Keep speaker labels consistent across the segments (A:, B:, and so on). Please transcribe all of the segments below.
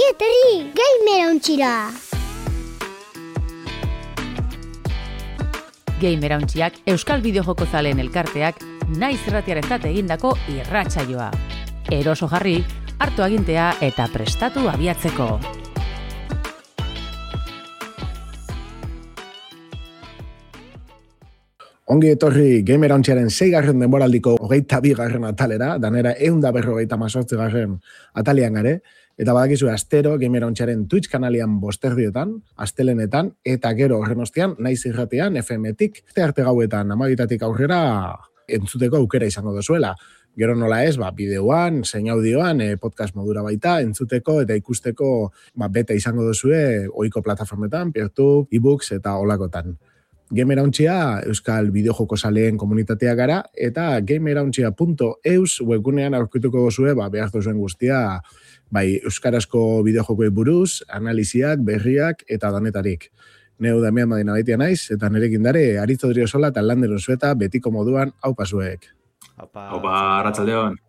A: Ongi etorri, Gamerauntxira!
B: Gamerauntxiak Euskal Bideojoko zaleen elkarteak naiz irratiarentzat egindako irratsaioa. Eroso jarri, hartu agintea eta prestatu abiatzeko.
C: Ongi etorri Gamerauntxiaren 6. denboraldiko 22. atalera, danera 158. atalian gare, eta badakizu astero Gamerauntxiaren Twitch kanalian bosterdietan, astelenetan, eta gero horren ostean, naiz irratian, FM-tik, arte gauetan, 12 aurrera entzuteko aukera izango dozuela. Gero nola ez, bideoan, zein audioan, podcast modura baita, entzuteko eta ikusteko bete izango dozue ohiko plataformetan, Peertube, ebooks eta olakotan. Gamerauntxia Euskal Bideojoko zaleen komunitatea gara, eta gamerauntxia.eus webgunean aurkituko dozue, behar duzuen guztia, euskarazko bideojokoi buruz, analiziak, berriak eta danetarik. Neu Damian Madina baitia naiz, eta nerekin dare, Aritz Odriozola eta Lander Unzueta betiko moduan haupasuek.
D: Haupa, arratsaldeon.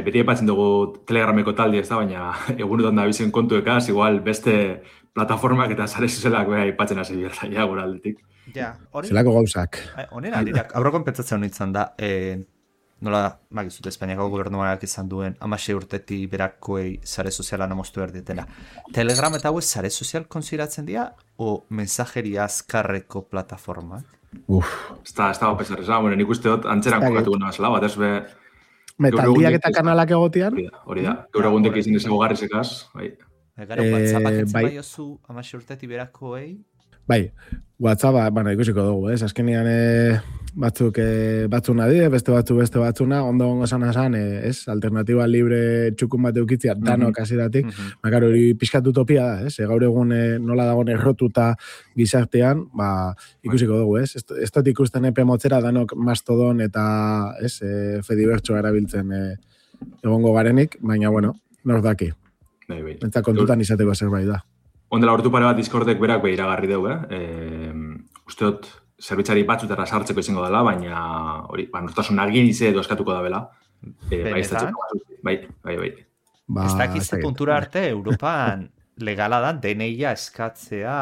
D: Beti epatzen dugu Telegrameko taldi ez da, baina egunetan da bizen kontuekaz, igual beste plataformak eta sare sozialak aipatzen hasi bierta, gure aldetik.
E: Ja,
C: zelako gauzak.
E: Honen aldirak, aurreko pentsatzen honetan da, nola, magizut, Espainiako gobernuak izan duen 16 urtetik berakoei sare soziala namostu behar ditela. Telegram eta hauez sare sozial konsideratzen dira, o mensajeria azkarreko plataformak?
D: Ez da pesar, nik uste dut antzeran kokatu guna bazela, bat ez be...
C: Metaldiak eta kanalak egotean?
D: Hori da, gaur egundek izin ezago garrizekaz, bai.
E: Gero, WhatsAppak entzun bai oso 16 urtetik berakoei?
C: Bai, WhatsApp, ikusiko dugu, azkenean batzuna die, beste batzuna, ondo esan, alternatiba libre txukun bat eukitzia, danok hasieratik, makaro hori pixkat utopia da, gaur egun nola dagoen errotuta gizartean, ikusiko dugu, ez dut ikusten epe motzera danok Mastodon eta Fedibertso erabiltzen egongo garenik, baina, bueno, nor daki. Eta kontutan izateko zerbait da.
D: Ondela hortu pare bat Discordek berak iragarri dugu, uste dut zerbitzari batzutara sartzeko izango dela, baina hori, nortasun agirize edo eskatuko da bela. Bai.
E: Ez dakizte puntura arte, Europan legala da DNI-a eskatzea...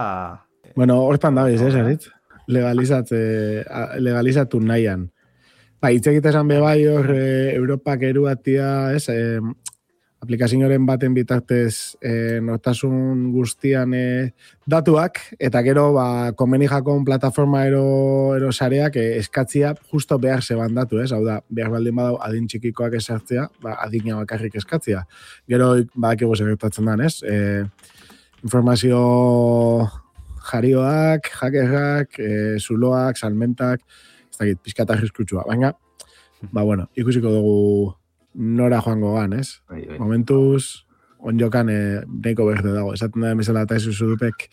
C: Bueno, hortan da bez, Aritz? Legalizatu nahian. Hitz egitesan bebai hor Europak eruatia, aplikazioaren baten bitartez nortasun guztian datuak, eta gero konbeni jakon plataforma ero sareak eskatzia justo behar zeban datu, hau da, behar baldin badau adin txikikoak esartzea, adina bakarrik eskatzia. Gero badakigu segertatzen dan, informazio jarioak, hackerrak, zuloak, salmentak, ez dakit, pixkat arriskutsua, baina, ikusiko dugu nora joango gan, Momentuz, onjokan neiko berde dago. Esaten da emezela eta ez uzudupek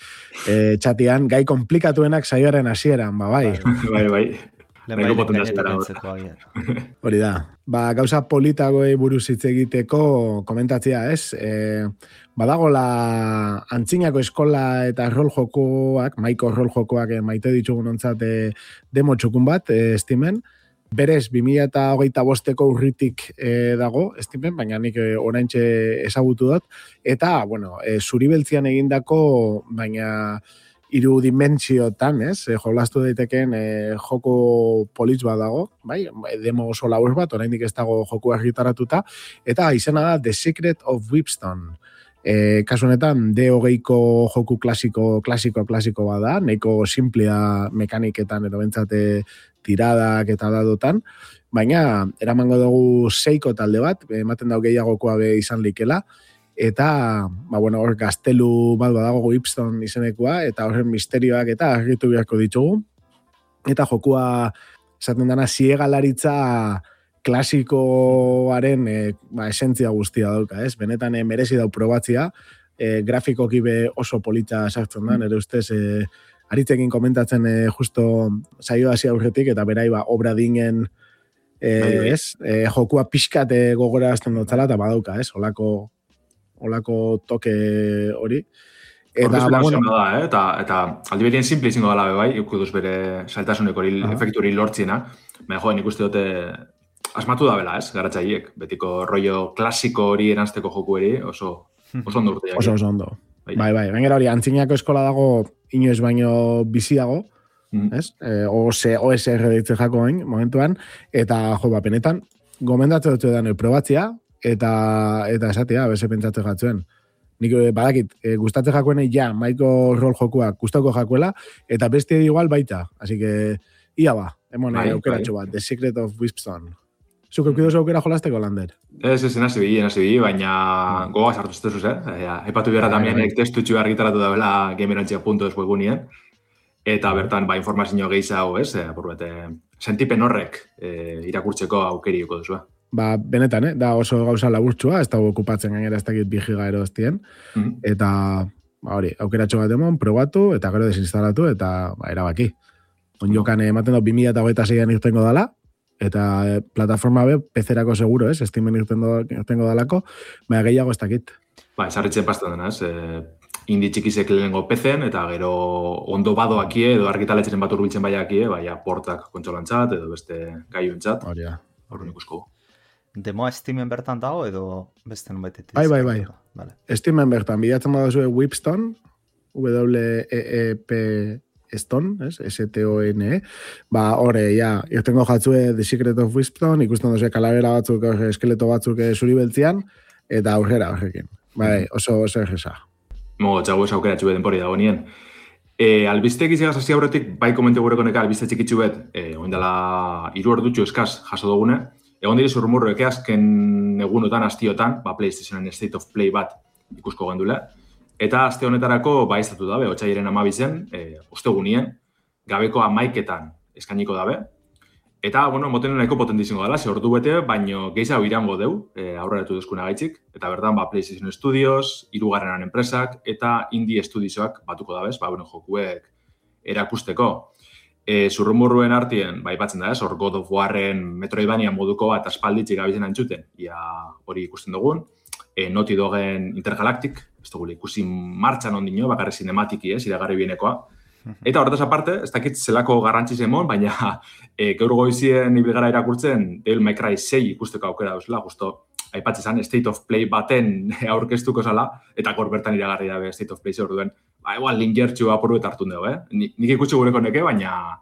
C: txatian, gai komplikatuenak saioaren hasieran, bai. Hori da. Gauza politagoei buruz hitz egiteko komentatzea, badagola antzinako eskola eta rol jokoak, maiko rol jokoak maite ditugun ontzat demo txukun bat, estimen, berez, 2025ko urritik dago, estimen, baina nik oraintxe ezagutu dut, eta, zuribeltzian egindako, baina 3 dimentsiotan, jolastu daiteken joko politz bat dago, demo oso labur bat, oraindik ez dago joku argitaratuta, eta izena da The Secret of Whipstone. Kasu honetan, D20ko joku klasiko bat da, nahiko simplea mekaniketan edo bentsate tiradak eta dadotan, baina eramango dugu 6ko talde bat, ematen dau gehiagokoa be izan likela, eta, hor gaztelu bat badago Whipstone izenekoa, eta horren misterioak eta argitu beharko ditugu, eta jokua, esaten dana, ziegalaritza klasikoaren esentzia guztia dauka, benetan merezi dau probatzia, grafikoki be oso polita sartzen da, nire ustez, Aritzekin komentatzen justo saio hasi aurretik, eta berai obra dingen jokua pixkat gogora azten dutzala, eta badauka, olako toke hori.
D: Eta aldi berien simple izango dela bai, ikuduz bere saltasuneko efektu hori lortziena, baina nik uste dute asmatu da bela, garatzaileek, betiko rollo klasiko hori eranzteko joku eri, oso Oso ondo urteak.
C: Oso ondo. Bai, gainera hori, antzinako eskola dago inoiz baino biziago, ez? OSR deitzen jako hain, momentuan, eta jo, benetan, gomendatzen dut edan probatzea, eta esatea, beze pentsatzen jatzuen. Nik badakit, gustatzen jakoen ja, maiko rol jokuak gustako jakuela, eta beste igual baita. Así que, ia ba, aukeratxo bat, The Secret of Wispstone. Zuk eukidozu aukera jolasteko, Lander?
D: Ez, nasi bi, baina goga sartu zituzuz, Epatu biara tamien testutxu argitaratu da bela gamerantzia.es webgunien, eta bertan, informazio gehiago, sentipen horrek irakurtzeko aukeriuko duzu.
C: Benetan, da oso gauza laburtsua, ez dago okupatzen gainera ez dakit 2 giga erostien, eta hori, aukeratxo bat emon, probatu, eta gero desinstalatu, eta erabaki. Onjokan ematen dut 2026an irtengo dala, eta plataforma PC-erako seguro, ez? Steamen irtengo dalako, baina gehiago ez dakit.
D: Esarritzen pastan dena, ez? Indi txikizek lehenengo PC-en, eta gero ondo badoakie, edo argitaletxeren bat urbiltzen baiakie, portak kontsolantzat, edo beste gaiuentzat.
C: Hori da.
D: Horren ikusko.
E: Demoa Steamen bertan dago, edo beste nunbait?
C: Bai. Steamen bertan, bidatzen badazue Wispstone, W-E-E-P Stone, S-T-O-N-E, horre, irtengo jatzue The Secret of Wispstone, ikusten duzue kalabera batzuk, eskeleto batzuk zuri beltzian, eta aurrera horrekin. Oso egesa.
D: Txago ez aukeratxu beden pori dago nien. Albistek izagaz hasi aurretik, bai komente gureko neka albiste txikitzu bet, oindala 3 ordutxu eskaz jaso dugune, egon diri zurrumurroek azken egunotan, astiotan, PlayStationen State of Play bat ikusko gendule, eta aste honetarako baiztatu dabe, otxaiaren 12, ostegunien, gabeko 11etan eskainiko dabe. Eta, moten nahiko potentiziongo dela, ze ordu bete, baino gehiago irango deu, aurreratu duzkuna gaitzik. Eta bertan, PlayStation Studios, 3. enpresak, eta Indie Studiosoak batuko dabez, jokuek erakusteko. Zurrumurruen artien, ipatzen da ez, hor God of Warren Metroidvania moduko bat aspalditzik gabizen antzuten, hori ikusten dugun. Naughty Dogen Intergalactic, ez dugu ikusi martxan ondino, bakarri cinematiki, iragarri bienekoa. Eta horretaz aparte, ez dakit zelako garrantziz emon, baina gaur goizien ibilgara irakurtzen Devil May Cry 6 ikusteko aukera duzela, justo aipatzen State of Play baten aurkeztuko zala, eta gaur bertan iragarri dabe State of Play orduen, igual linkertxu apurru eta hartun dugu, Nik ikutsi gureko neke, baina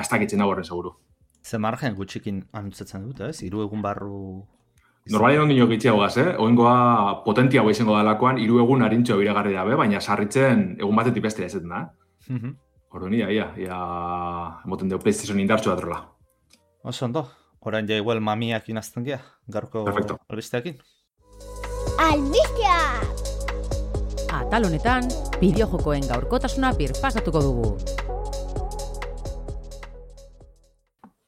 D: ez dakitzen da horren seguru.
E: Ze margen gutxikin anutzatzen dut, 3 egun barru...
D: Normalien ondino gitxiago gaz, Oingoa potentia hau izango dalakoan, 3 egun harintxo iragarri dabe, baina sarritzen egun batetik bestera ezetan da, Orduan, ia, emoten dugu PlayStation indartxo datrola.
E: Oso ondo, orain ja igual mamiak inazten gea, garko albisteakin.
A: Albistea!
B: Atal honetan, bideojokoen gaurkotasuna birpasatuko dugu.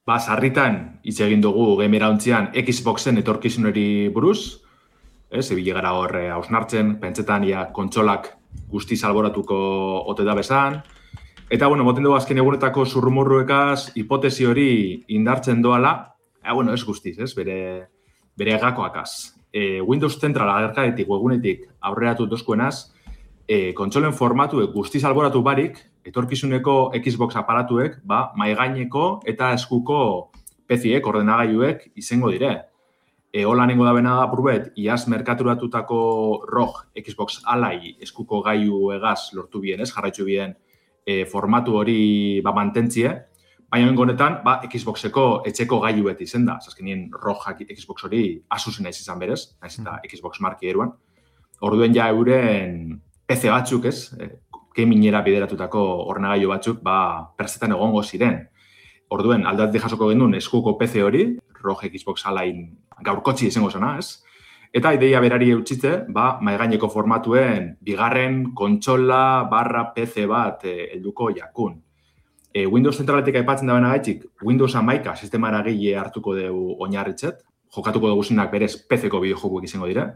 D: Sarritan, hitz egin dugu gamera ontzian Xboxen etorkizuneri buruz, ebile gara hor hausnartzen, pentsetan kontsolak guzti salboratuko ote da bezan. Eta, moten dugu azken egunetako zurrumurruekaz hipotesi hori indartzen doala, ez guztiz, bere gakoakaz. Windows Central agerkadetik, webunetik aurreratu dozkuenaz, kontsolen formatu guzti salboratu barik, etorkizuneko Xbox aparatuek, maigaineko eta eskuko PC-ek, ordenagailuek izango dire. Hola nengo da bena da purbet, iaz merkaturatutako ROG Xbox Ally eskuko gailu egaz lortu bien, jarraitzu bien formatu hori mantentzie, baina honetan Xboxeko etxeko gailu beti izen da. Azkenien ROG Xbox hori Asusen naiz izan berez, naiz eta Xbox marki eruan. Orduen ja euren PC batzuk gaminera bideratutako ordenagailu batzuk perzetan egongo ziren. Orduen aldatik jasoko genuen eskuko PC hori, ROG Xbox Ally gaurkotzi izango zena, Eta ideia berari eutxitze, maigaineko formatuen bigarren kontsola / PC bat helduko jakun. Windows zentraletik aipatzen da bena gaitxik, Windows 11 sistema eragile hartuko dugu oinarritzet, jokatuko dugu zinak berez PC-ko bideojokuek izango dire,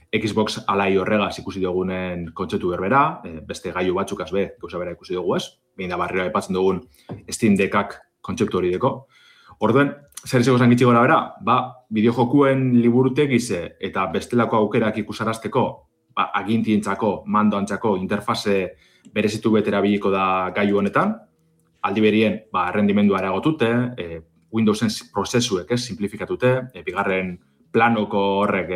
D: Xbox Ally horregaz ikusi dugunen kontzeptu berbera, beste gailu batzuk azbe, gauza bera ikusi dugu ez, behin da barriro aipatzen dugun Steam Deckak kontzeptu hori deko. Orduen, zer izango zangitxi gora bera, bideojokuen liburutek ize eta bestelako aukerak ikusarazteko, agintientzako, mandoantzako interfaze berezitu betera biliko da gailu honetan, aldi berien, rendimendua eragotute, Windowsen prozesuek simplifikatute, bigarren planoko horrek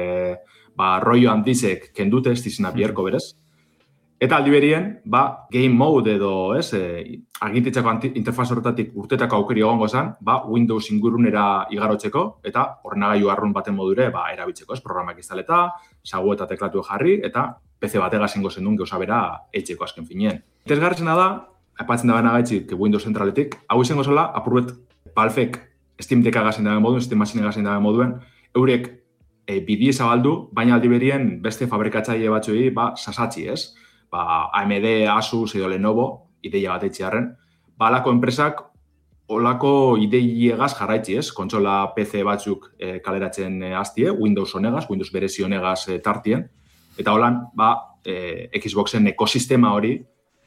D: rollo handizek kendute, ez dizena bierko berez. Eta aldi berien, game mode edo, agintitzako interfaz horretatik urtetako aukeri egongo zen, Windows ingurunera igarotzeko, eta ordenagailu arrun baten modure erabiltzeko, programak instaleta, sagu eta teklatu jarri, eta PC batega zengo zendun gauza bera etxeko azken finien. Interesgarritzena da, aipatzen da baina gaitzik Windows zentraletik, hau izango zela, apurbet Valvek Steam Deck agazen dagoen moduen, Steam Machine agazen dagoen moduen, eurek bidie zabaldu, baina aldi berien beste fabrikatzaile batzuei sasatzi, ez? AMD, Asus edo Lenovo, ideia bat etxearen, alako enpresak olako ideiegaz jarraitzi, ez? Kontsola PC batzuk kaleratzen hastie, Windows honegaz, Windows berezi honegaz tartien, eta holan, Xboxen ekosistema hori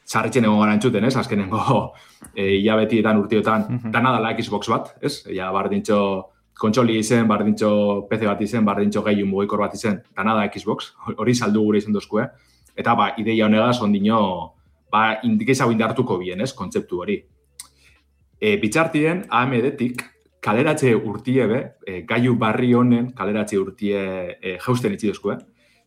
D: sarritzen egon gara entzuten, ez? Azkenengo hilabetietan urtiotan, dana dala Xbox bat, ez? Ja, bardintxo kontsoli izen, bardintxo PC bat izen, bardintxo gehiun mugikor bat izen, dana da Xbox, hori saldu gure izen dozkue. Eta ideia honegaz ondino indikeizago indartuko bien, ez, kontzeptu hori. Bitxartien, AMD-tik kaleratze urtie gaiu barri honen kaleratze urtie jausten itxidozko,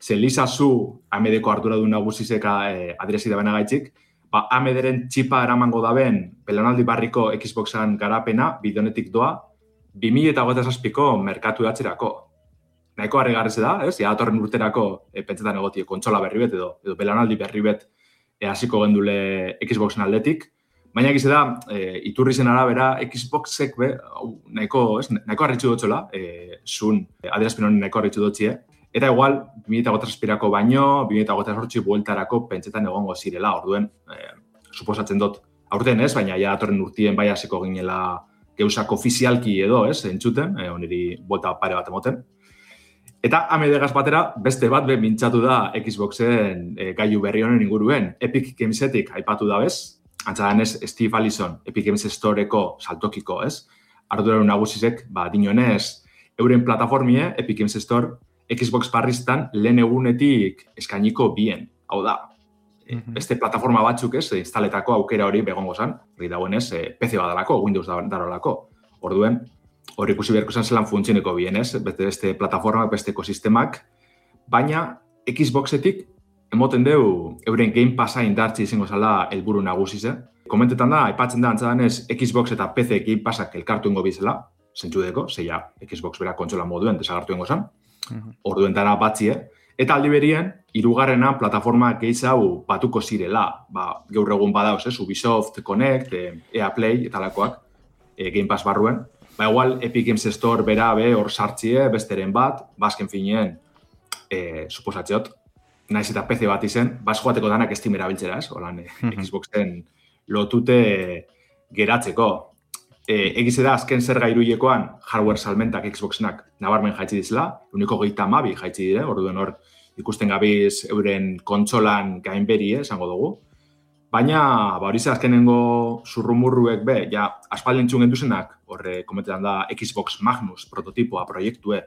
D: Ze Lisa Su, AMD-ko arduradun nagusizek adresi da bena gaitzik, AMD-ren txipa eramango daben belanaldi barriko Xboxan garapena, bideonetik doa, 2027ko merkatu datzerako. Nahiko harrigarrize da, ez? Datorren urterako pentsetan egotie kontsola berri bet edo belanaldi berri bet hasiko gendule Xboxen aldetik. Baina egize da, iturri zen arabera, Xboxek nahiko harritxu dutxola, zun adierazpen honen nahiko harritxu dutxie. Eta igual, 2008 baino, 2008 bueltarako pentsetan egongo zirela, orduen, suposatzen dut, aurten ez, baina datorren urtien bai hasiko ginela geuzak ofizialki edo, ez, entzuten, oniri buelta pare bat emoten. Eta AMD-gaz batera, beste bat mintzatu da Xboxen gailu berri honen inguruen. Epic Gamesetik aipatu da bez, antzadan ez Steve Allison, Epic Games Storeko saltokiko, ez? Arduraru nagusizek, dinonez, euren plataformie, Epic Games Store, Xbox barriztan lehen egunetik eskainiko bien. Hau da, beste plataforma batzuk, ez, instaletako aukera hori begongo zan, hori dagoenez, PC badalako, Windows darolako. Orduen, hori ikusi beharko zen zelan funtzioneko bien, ez? Beste plataformak, beste ekosistemak, baina Xboxetik emoten deu euren Game Passa indartzi izango zala helburu nagusize. Komentetan da, aipatzen da antzadanez Xbox eta PC Game Passak elkartu ingo bizela, zentzudeko, zeia Xbox bera kontsola moduen desagartu ingo zen, orduen dara batzie, eta aldi berien, hirugarrena plataforma gehiago batuko zirela, gaur egun badauz, Ubisoft, Connect, EA Play eta lakoak Game Pass barruen. Igual, Epic Games Store bera hor sartzie, besteren bat, bazken finien, suposatzeot, naiz eta PC bat izen, joateko danak Steam erabiltzera, ez? Holan, Xboxen lotute geratzeko. Egize da, azken zer gairuiekoan, hardware salmentak Xboxenak nabarmen jaitsi dizela, uniko 32 jaitsi dire, orduen hor ikusten gabiz euren kontsolan gainberi, esango dugu. Baina, hori azkenengo zurrumurruek aspaldi entzun genduzenak, horre komentetan da Xbox Magnus prototipoa proiektue,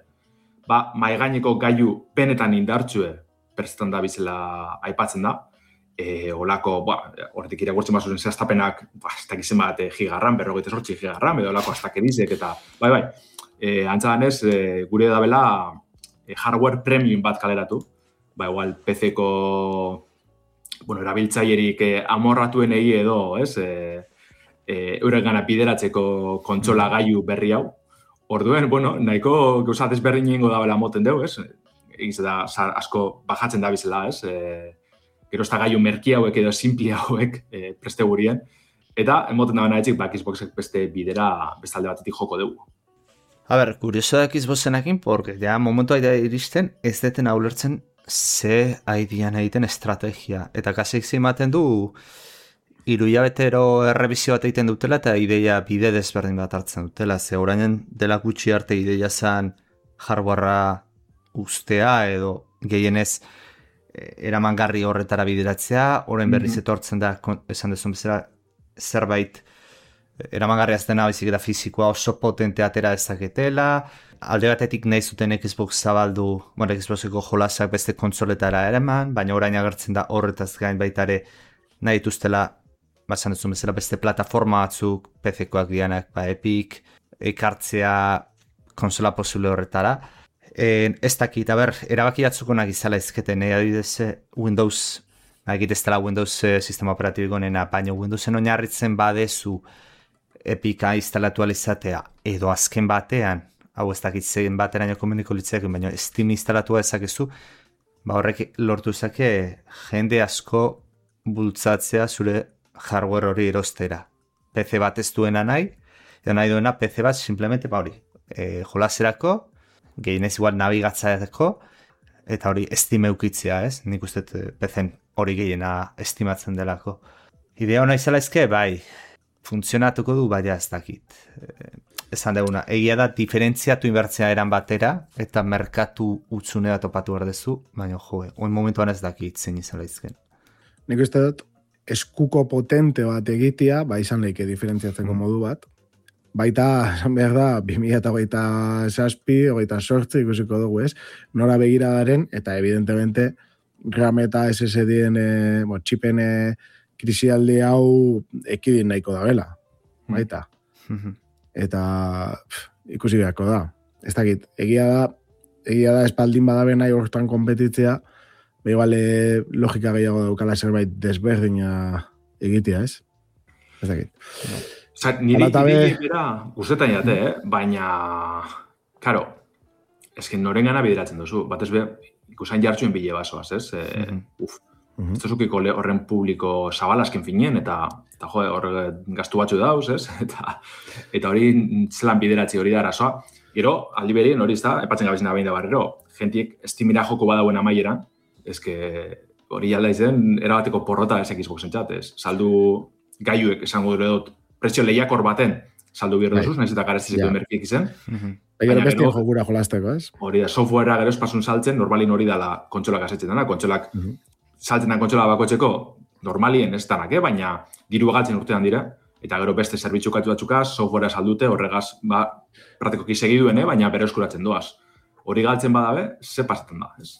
D: maigaineko gailu benetan indartzue perzetan da bizela aipatzen da, olako, horretik irakurtzen bazuzen zehaztapenak, ez dakizen bat gigarran, 48 gigarran, edo olako astakedizek, eta antzadanez, gure dabela hardware premium bat kaleratu, igual PC-ko erabiltzailerik amorratuenei edo, ez, euren gana bideratzeko kontsola gailu berri hau. Orduen, nahiko gauza desberdin ingo dabela moten dugu, ez? Egiz da, asko bajatzen da bizela, ez? Gero ez da gailu merki hauek edo simpli hauek preste gurien. Eta, emoten da bena etxik, Xboxek beste bidera bestalde batetik joko dugu.
E: A ber, kurioso da Xboxenakin, porque ja momentu aida iristen, ez deten ulertzen ze aidian egiten estrategia. Eta kasik zimaten du, 3 hilabetero errebizio bat egiten dutela eta ideia bide desberdin bat hartzen dutela. Ze orainen dela gutxi arte ideia zan hardwarea ustea edo gehienez eramangarri horretara bideratzea, orain berriz etortzen da, esan dezun bezala, zerbait eramangarria ez dena baizik eta fizikoa oso potente atera dezaketela, alde batetik nahi zuten Xbox zabaldu, Xboxeko jolasak beste kontsoletara eraman, baina orain agertzen da horretaz gain baitare nahi dituztela, esan dezun bezala beste plataforma batzuk, PC-koak dianak, Epic, ekartzea konsola posible horretara, Ez dakit, erabaki batzukonak izala ezketen, adibidez Windows, egit ez dela Windows sistema operatibiko nena, baina Windowsen oinarritzen badezu Epica instalatu alizatea, edo azken batean, hau ez dakit zein bateraino komuniko litzeak, baina Steam instalatua ezakezu, horrek lortu zake jende asko bultzatzea zure hardware hori erostera. PC bat ez duena nahi, edo nahi duena PC bat simplemente hori, jolaserako, gehienez igual nabigatzaeko, eta hori Steam eukitzea, ez? Nik uste PC-en hori gehiena estimatzen delako. Idea hona izala ezke, bai, funtzionatuko du, baina ez dakit. Esan deguna, egia da diferentziatu inbertzea eran batera, eta merkatu utzunea topatu berdezu, baina oin momentuan ez dakit zein izala izken.
C: Nik uste dut, eskuko potente bat egitea, izan leike diferentziatzeko modu bat, baita, esan behar da, 2027, 28 ikusiko dugu, ez? Nora begira garen, eta evidentemente, RAM eta SSD-en, txipen krisialdi hau ekidin nahiko da bela, baita. Eta ikusi beharko da. Ez dakit, egia da espaldin badabe nahi horretan kompetitzea, behibale logika gehiago daukala zerbait desberdina egitea, ez? Ez dakit.
D: Niri bera guztetan jate, baina, karo, ezken noren gana bideratzen duzu, bat ez be, ikusain jartxuen bile basoaz, ez? Ez duzukiko horren publiko zabalazken finien, eta horre gaztu batzu dauz, ez? Eta hori zelan bideratzi hori da arazoa. Gero, aldi berien hori ez da, epatzen gabizena behin da barrero, jentiek estimira joko badauen amaieran, ezke hori alda izen, erabateko porrota ez Xboxen txat, ez? Saldu gaiuek esango dure dut, prezio lehiakor baten saldu bierdozuz, nahiz eta garezizeko merkiek izen.
C: Baina bestien jokura jolazteko, ez?
D: Hori da, softwarea gero espasun saltzen, normalin hori dala kontsolak asetzen dena, kontsolak saltzen da kontsola bakotzeko, normalien ez danak, baina diru galtzen urtean dira, eta gero beste zerbitzu katu batzukaz, softwarea saldute, horregaz, praktikoki segiduen, baina bere eskuratzen doaz. Hori galtzen badabe, ze pasatzen da, ez?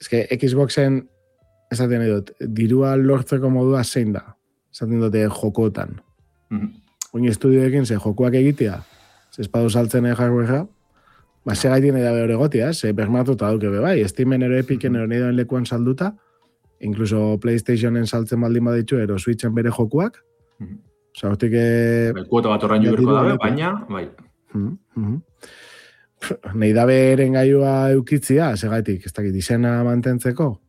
C: Ez que Xboxen, esaten dut, dirua lortzeko modua zein da? Esaten dute jokotan. Oin estudioekin ze jokuak egitea, ze espadu saltzen hardwarea, ze gaitien edabe hori gotia, ze bermatuta duke bai, Steamen ero Epicen ero nidoen lekuan salduta, incluso PlayStationen saltzen baldin baditzu, ero Switchen bere jokuak. Osa, hortik...
D: Kuota bat horrein juberko dabe, baina, bai.
C: Nei dabe eren gaiua eukitzia, segaitik, ez dakit, izena mantentzeko.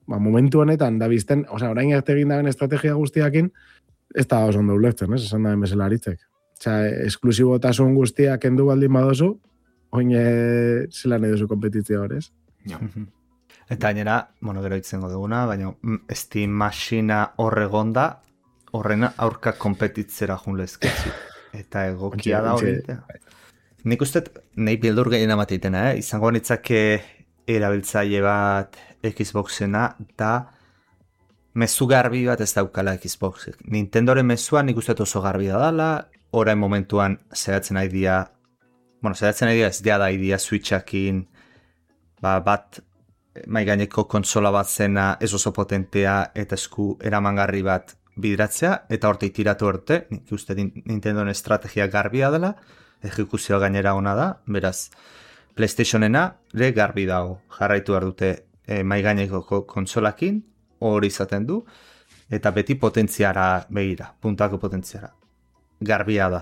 C: Momentu honetan, da bizten, orain arte egin daben estrategia guztiakin, ez da oso ondo ulertzen, esan da bezala aritzek. Esklusibotasun guztiak kendu baldin badozu, oin zelan nahi duzu kompetizioa horrez.
E: Eta gainera, gero itzengo duguna, baina Steam Machina horregonda, horrena aurka kompetitzera junlezketzu. Eta egokia da hori. Nik uste, nahi bildur gehien amateitena, izango nitzake erabiltzaile bat Xboxena, da mezu garbi bat ez daukala Xboxek. Nintendoren mezuan nik uste oso garbi da dala, orain momentuan zeratzen idea ez da idea Switchakin, bat maigaineko kontsola bat zena ez oso potentea eta esku eramangarri bat bideratzea, eta horte itiratu horte, nik uste Nintendoren estrategia garbia dela, ejekuzioa gainera ona da, beraz, PlayStationena ere garbi dago, jarraitu behar dute maigaineko kontsolakin, hori izaten du, eta beti potentziara begira, puntako potentziara. Garbia da.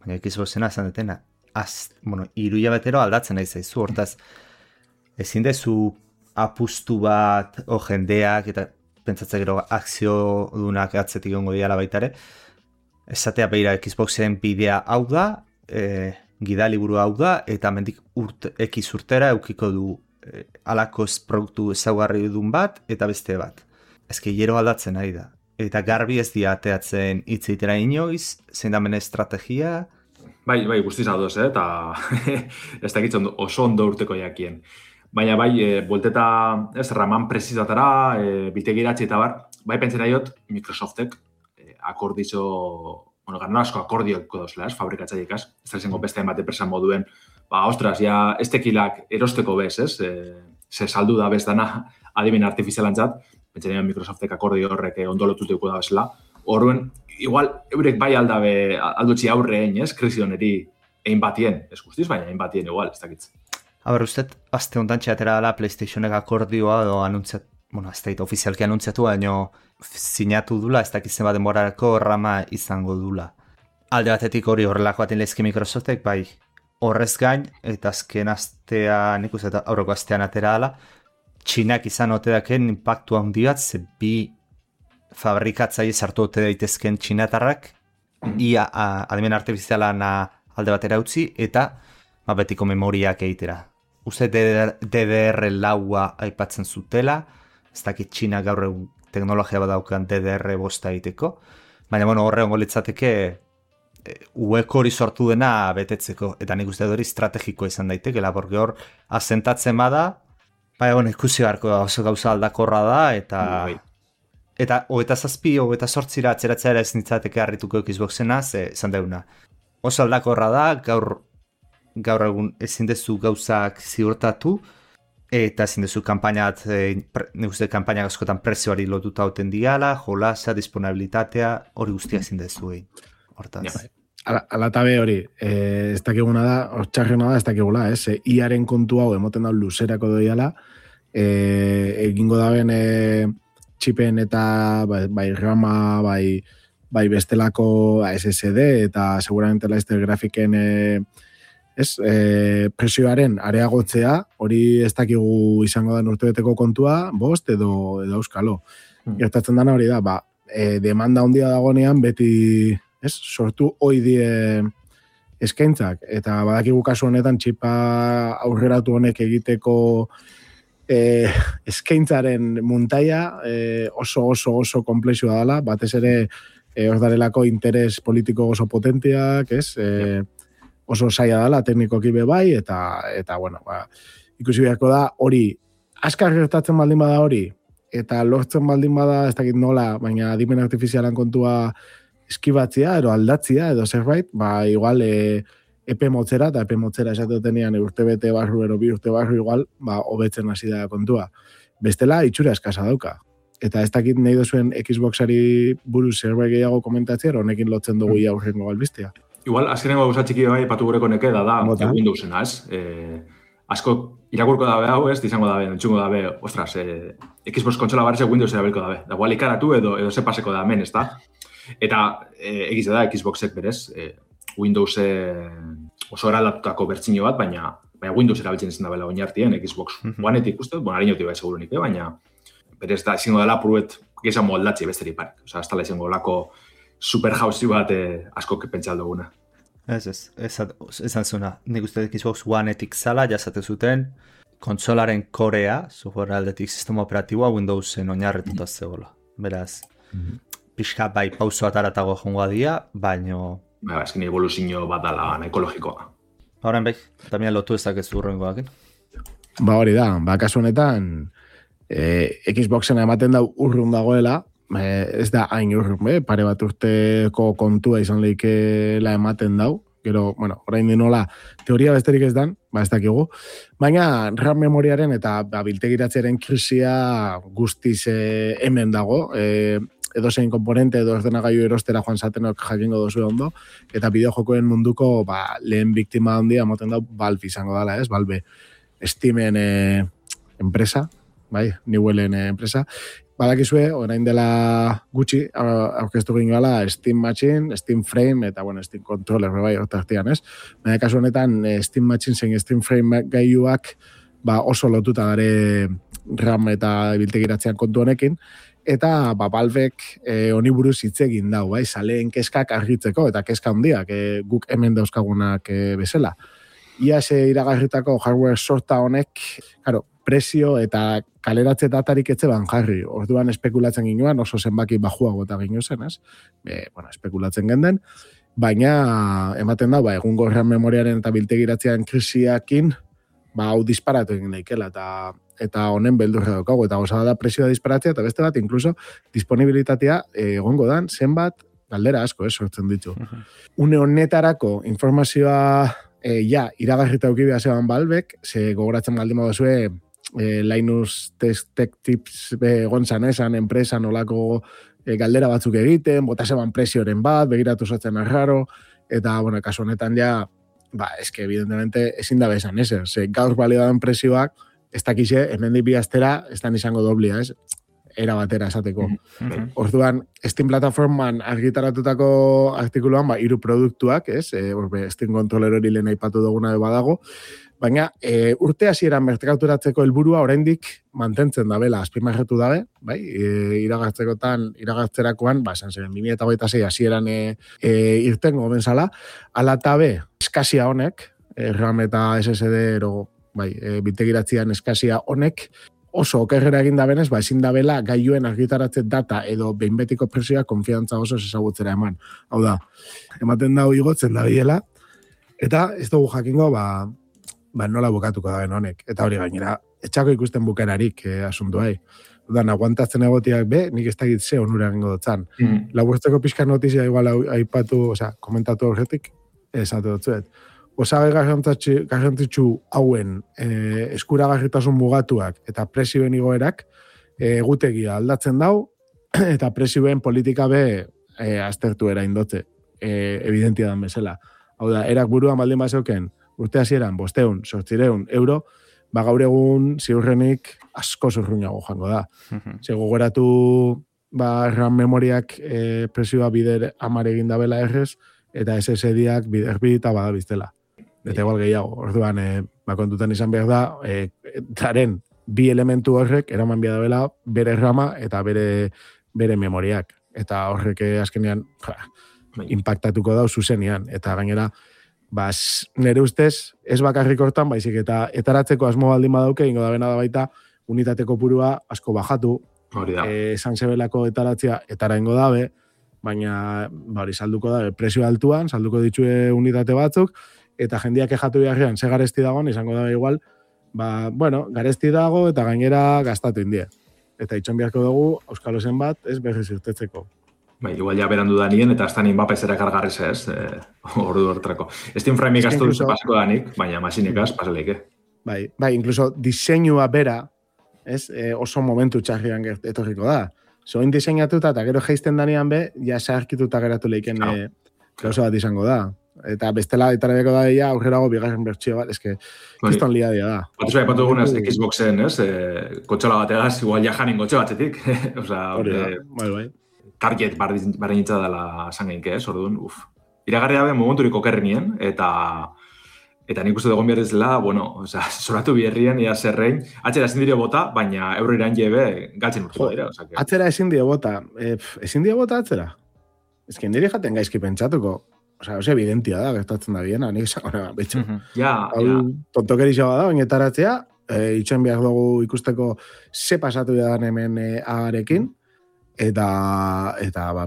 E: Baina Xboxena esan detena, iruia betero aldatzen nahi zaizu, hortaz, ezin dezu apustu bat, jendeak, eta pentsatzen gero akzio dunak atzetik ongo diala baitare, esatea behira Xboxen bidea hau da, gidaliburu hau da, eta mendik X urtera eukiko du alako produktu ezaugarri dun bat, eta beste bat. Ezke hiero aldatzen nahi da. Eta garbi ez dia ateatzen hitzeitera inoiz, zein da mene estrategia.
D: Bai, guztiz adoz, eta ez dakitzen oso ondo urteko jakien. Baina buelteta, raman prezizatara, bitegiratzi eta bai pentsera jot, Microsoftek akordizo, gana asko akordioko dozela, fabrikatzaikaz, ez da izango beste emate presan moduen, ostras, ja, ez tekilak erosteko bez, ez? Ze saldu da bez dana adimen artifizialantzat, pentsaren Microsoftek akordio horrek ondolotuteko da bezala. Horren, igual, eurek bai aldutzi aurrein, ez? Krisi honeri egin batien, ez guztiz, baina egin batien igual, ez dakitz.
E: Aber, usted, azte ondan txatera dela PlayStationek akordioa edo anuntziat, ez da ofizialki anuntziatu, baino sinatu dula, ez dakizen bat denborarako rama izango dula. Alde batetik hori horrelako baten lehizki Microsoftek, bai, horrez gain, eta azken astea, nik uste eta aurreko astean atera dela, Txinak izan ote daken impactu handi bat, ze bi fabrikatzaile sartu ote daitezken txinatarrak, ia adimen artifizialan alde batera utzi, eta betiko memoriak egitera. Uste DDR4 aipatzen zutela, ez dakit Txina gaur egun teknologia badaukan DDR5 egiteko, baina horre ongo litzateke ueko hori sortu dena betetzeko, eta nik uste hori estrategiko izan daitekela, porque hor asentatzen bada, ikusi beharko oso gauza aldakorra da, eta 27-28 atzeratzea ez nintzateke harrituko Xboxena, esan deuna. Oso aldakorra da, gaur egun ezin dezu gauzak ziurtatu, eta ezin dezu kampainat, nik uste kampaina askotan prezioari lotuta hauten diala, jolasa, disponibilitatea, hori guztia ezin dezu egin. Hortaz.
C: Alatabe hori, ez dakiguna da, hortxarrena da, ez dakigula, iaren kontu hau emoten da luzerako doiala, egingo daben txipen eta bai rama, bai bestelako SSD, eta seguramente laizte grafiken presioaren areagotzea, hori ez dakigu izango da urtebeteko kontua, bost edo euskalo. Gertatzen dana hori da, demanda handia dagonean beti sortu oidie eskaintzak, eta badakigu kasu honetan txipa aurreratu honek egiteko eskaintzaren muntaia oso komplexua dela, batez ere hor darelako interes politiko oso potentiak, oso saia dela teknikoki bai, eta bueno, ikusi beharko da hori, askar gertatzen baldin bada hori, eta lortzen baldin bada, ez dakit nola, baina adimen artifizialan kontua eskibatzia, edo aldatzia, edo zerbait, igual epe motzera, eta epe motzera esatetenean urtebete barru, ero bi urte barru, igual, hobetzen hasi da kontua. Bestela, itxura eskasa dauka. Eta ez dakit nahi duzuen Xboxari buruz zerbait gehiago komentatzea, honekin lotzen dugu aurrengo albistea.
D: Igual, azkenengo gauza txiki bai, patu gureko neke da Windowsena, asko irakurko dabe hau, izango dabe, entzungo dabe, ostras, Xbox kontsola barreze Windows erabilko dabe. Da, igual ikaratu edo ze paseko da hemen, ez da? Eta egiz da Xboxek berez, Windows oso eralatutako bertzino bat, baina Windows erabiltzen izan dabela oinartien, Xbox One-etik uste, hariñoti bai segurunik, baina berez da izango dela puruet gizan moldatzi besteri parek. Osa, ez dala izango lako super jauzi bat asko pentsal duguna.
E: Esan zuna, nik uste Xbox One-etik zala, jasate zuten, kontsolaren korea, software aldetik sistema operatiboa Windowsen oinarrituta zegoela. Beraz, pixka bai pauso ataratago jongoa dia, baino...
D: Eskin evoluzio bat dala ekologikoa.
E: Horren bai, tamien lotu ezak ez urrengoak.
C: Hori da, kasu honetan, Xboxena ematen da urrun dagoela, ez da hain urrun, pare bat urteko kontua izan lehikela ematen dau, gero, orain dinola, teoria besterik ez dan, ez dakigu, baina RAM memoriaren eta biltegiratzearen krisia guztiz hemen dago, edo zein komponente edo ordenagailu erostera joan zatenok jakingo dozu ondo, eta bideojokoen munduko lehen biktima handia moten dau Valve izango dala, Valve Steamen enpresa, Newellen enpresa. Badakizue, orain dela gutxi, aurkeztu gingoala Steam Machine, Steam Frame, eta Steam Controller, hortartian, Baina kasu honetan, Steam Machine zein Steam Frame gailuak oso lotuta dare RAM eta biltegiratzean kontu honekin, eta Valvek honi buruz hitz egin dau, saleen keskak argitzeko, eta keska handiak guk hemen dauzkagunak bezala. Iaz iragarritako hardware sorta honek, prezio eta kaleratze datarik etzeban jarri. Orduan espekulatzen ginoan, oso zenbaki bajuago eta gino zen, espekulatzen genden, baina ematen da, egungo RAM memoriaren eta biltegiratzean krisiakin, hau disparatu egin daikela, eta honen beldurra daukago, eta gozada da presioa disparatzea, eta beste bat, inkluso, disponibilitatea egongo dan, zenbat, galdera asko, sortzen ditu. Une honetarako informazioa iragarrita eukibia zeban Valvek, ze gogoratzen baldin moduzue, Linus Tech Tips gontzan esan, enpresan olako galdera batzuk egiten, bota zeban presioren bat, begiratu zatzen arraro, eta, kasu honetan eske, evidentemente, ezin da bezan, ez? Gaur balio dauen prezioak, ez dakize, hemendik bi astera, ez da izango doblia, ez? Era batera esateko. Orduan, Steam plataforman argitaratutako artikuluan, 3 produktuak, ez? Steam kontroler hori lehen aipatu duguna badago, baina urte hasieran merkaturatzeko helburua oraindik mantentzen dabela, azpimarratu dabe, bai? Iragartzerakoan, esan zen, 2026 hasieran irtengo benzala, ala tabe, eskasia honek, RAM eta SSD ero, biltegiratzean eskasia honek, oso okerrera egin dabenez, ezin dabela gailuen argitaratze data edo behin betiko prezioa konfiantza oso ezagutzera eman. Hau da, ematen dago igotzen da biela, eta ez dugu jakingo, nola bukatuko da honek. Eta hori gainera, etxako ikusten bukerarik asuntu hai. Udan, aguantatzen egotiak nik ez dakit ze onura egingo dutzan. Laburtzeko pixka notizia igual aipatu, komentatu horretik, esatu dutzuet. Osagai garrantzitsu hauen eskuragarritasun mugatuak eta prezioen igoerak egutegia aldatzen dau eta prezioen politika aztertu era indotze, evidentia dan bezala. Hau da, erak buruan baldin bazeuken urte hasieran 500, 800 euro, gaur egun ziurrenik asko zurruñago joango da. Gogoratu RAM memoriak prezioa bider 10 egin dabela errez, eta SSD-ak bider 2 eta badabiztela. Eta igual gehiago, orduan, kontutan izan behar da, daren 2 elementu horrek, eraman behar dela, bere rama eta bere memoriak. Eta horrek azkenean, impactatuko dau zuzenean. Eta gainera, nire ustez, ez bakarrik hortan, baizik eta etaratzeko asmo baldin badauke, ingo da bena da baita, unitateko purua asko bajatu, esan zebelako etaratzea, etara ingo dabe, baina, salduko dabe, prezio altuan, salduko ditue unitate batzuk, eta jendiak ejatu beharrean, ze garesti dagoen, izango da igual, garesti dago eta gainera gastatu indie. Eta itxon beharko dugu, Euskalosen bat, ez berriz irtetzeko.
D: Igual ja berandu da nien, eta aztan Mbappez ere kargarriz ez, ordu hortrako. Steam Frame ikastu duzu pasako danik, baina masinikaz pasaleik,
C: incluso diseinua bera, oso momentu txarrian etorriko da. Zoin diseinatuta eta gero geizten danean ja zaharkituta geratu leiken gauza bat izango da. Eta bestela etarabeko da ia aurrerago bigarren bertxio bat, kriston liadia da.
D: Batuz ipatu dugunaz Xboxen, kotxola bategaz, igual ja janin kotxe batzetik. Target barren itza dela zangeink, orduan, iragarri dabe momenturik okerrenien, eta nik uste dugun behar dezela, zoratu biherrien, ia zerrein, atxera ezin dio bota, baina euro iran jebe galtzen urtuko dira.
C: Atxera ezin dio bota, atxera? Ez que nire jaten gaizki pentsatuko. Evidentia da, gertatzen da biena, nik esan gona, betxo. Tontokeri xaba da, bainetaratzea, itxen behar dugu ikusteko ze pasatu da hemen agarekin, eta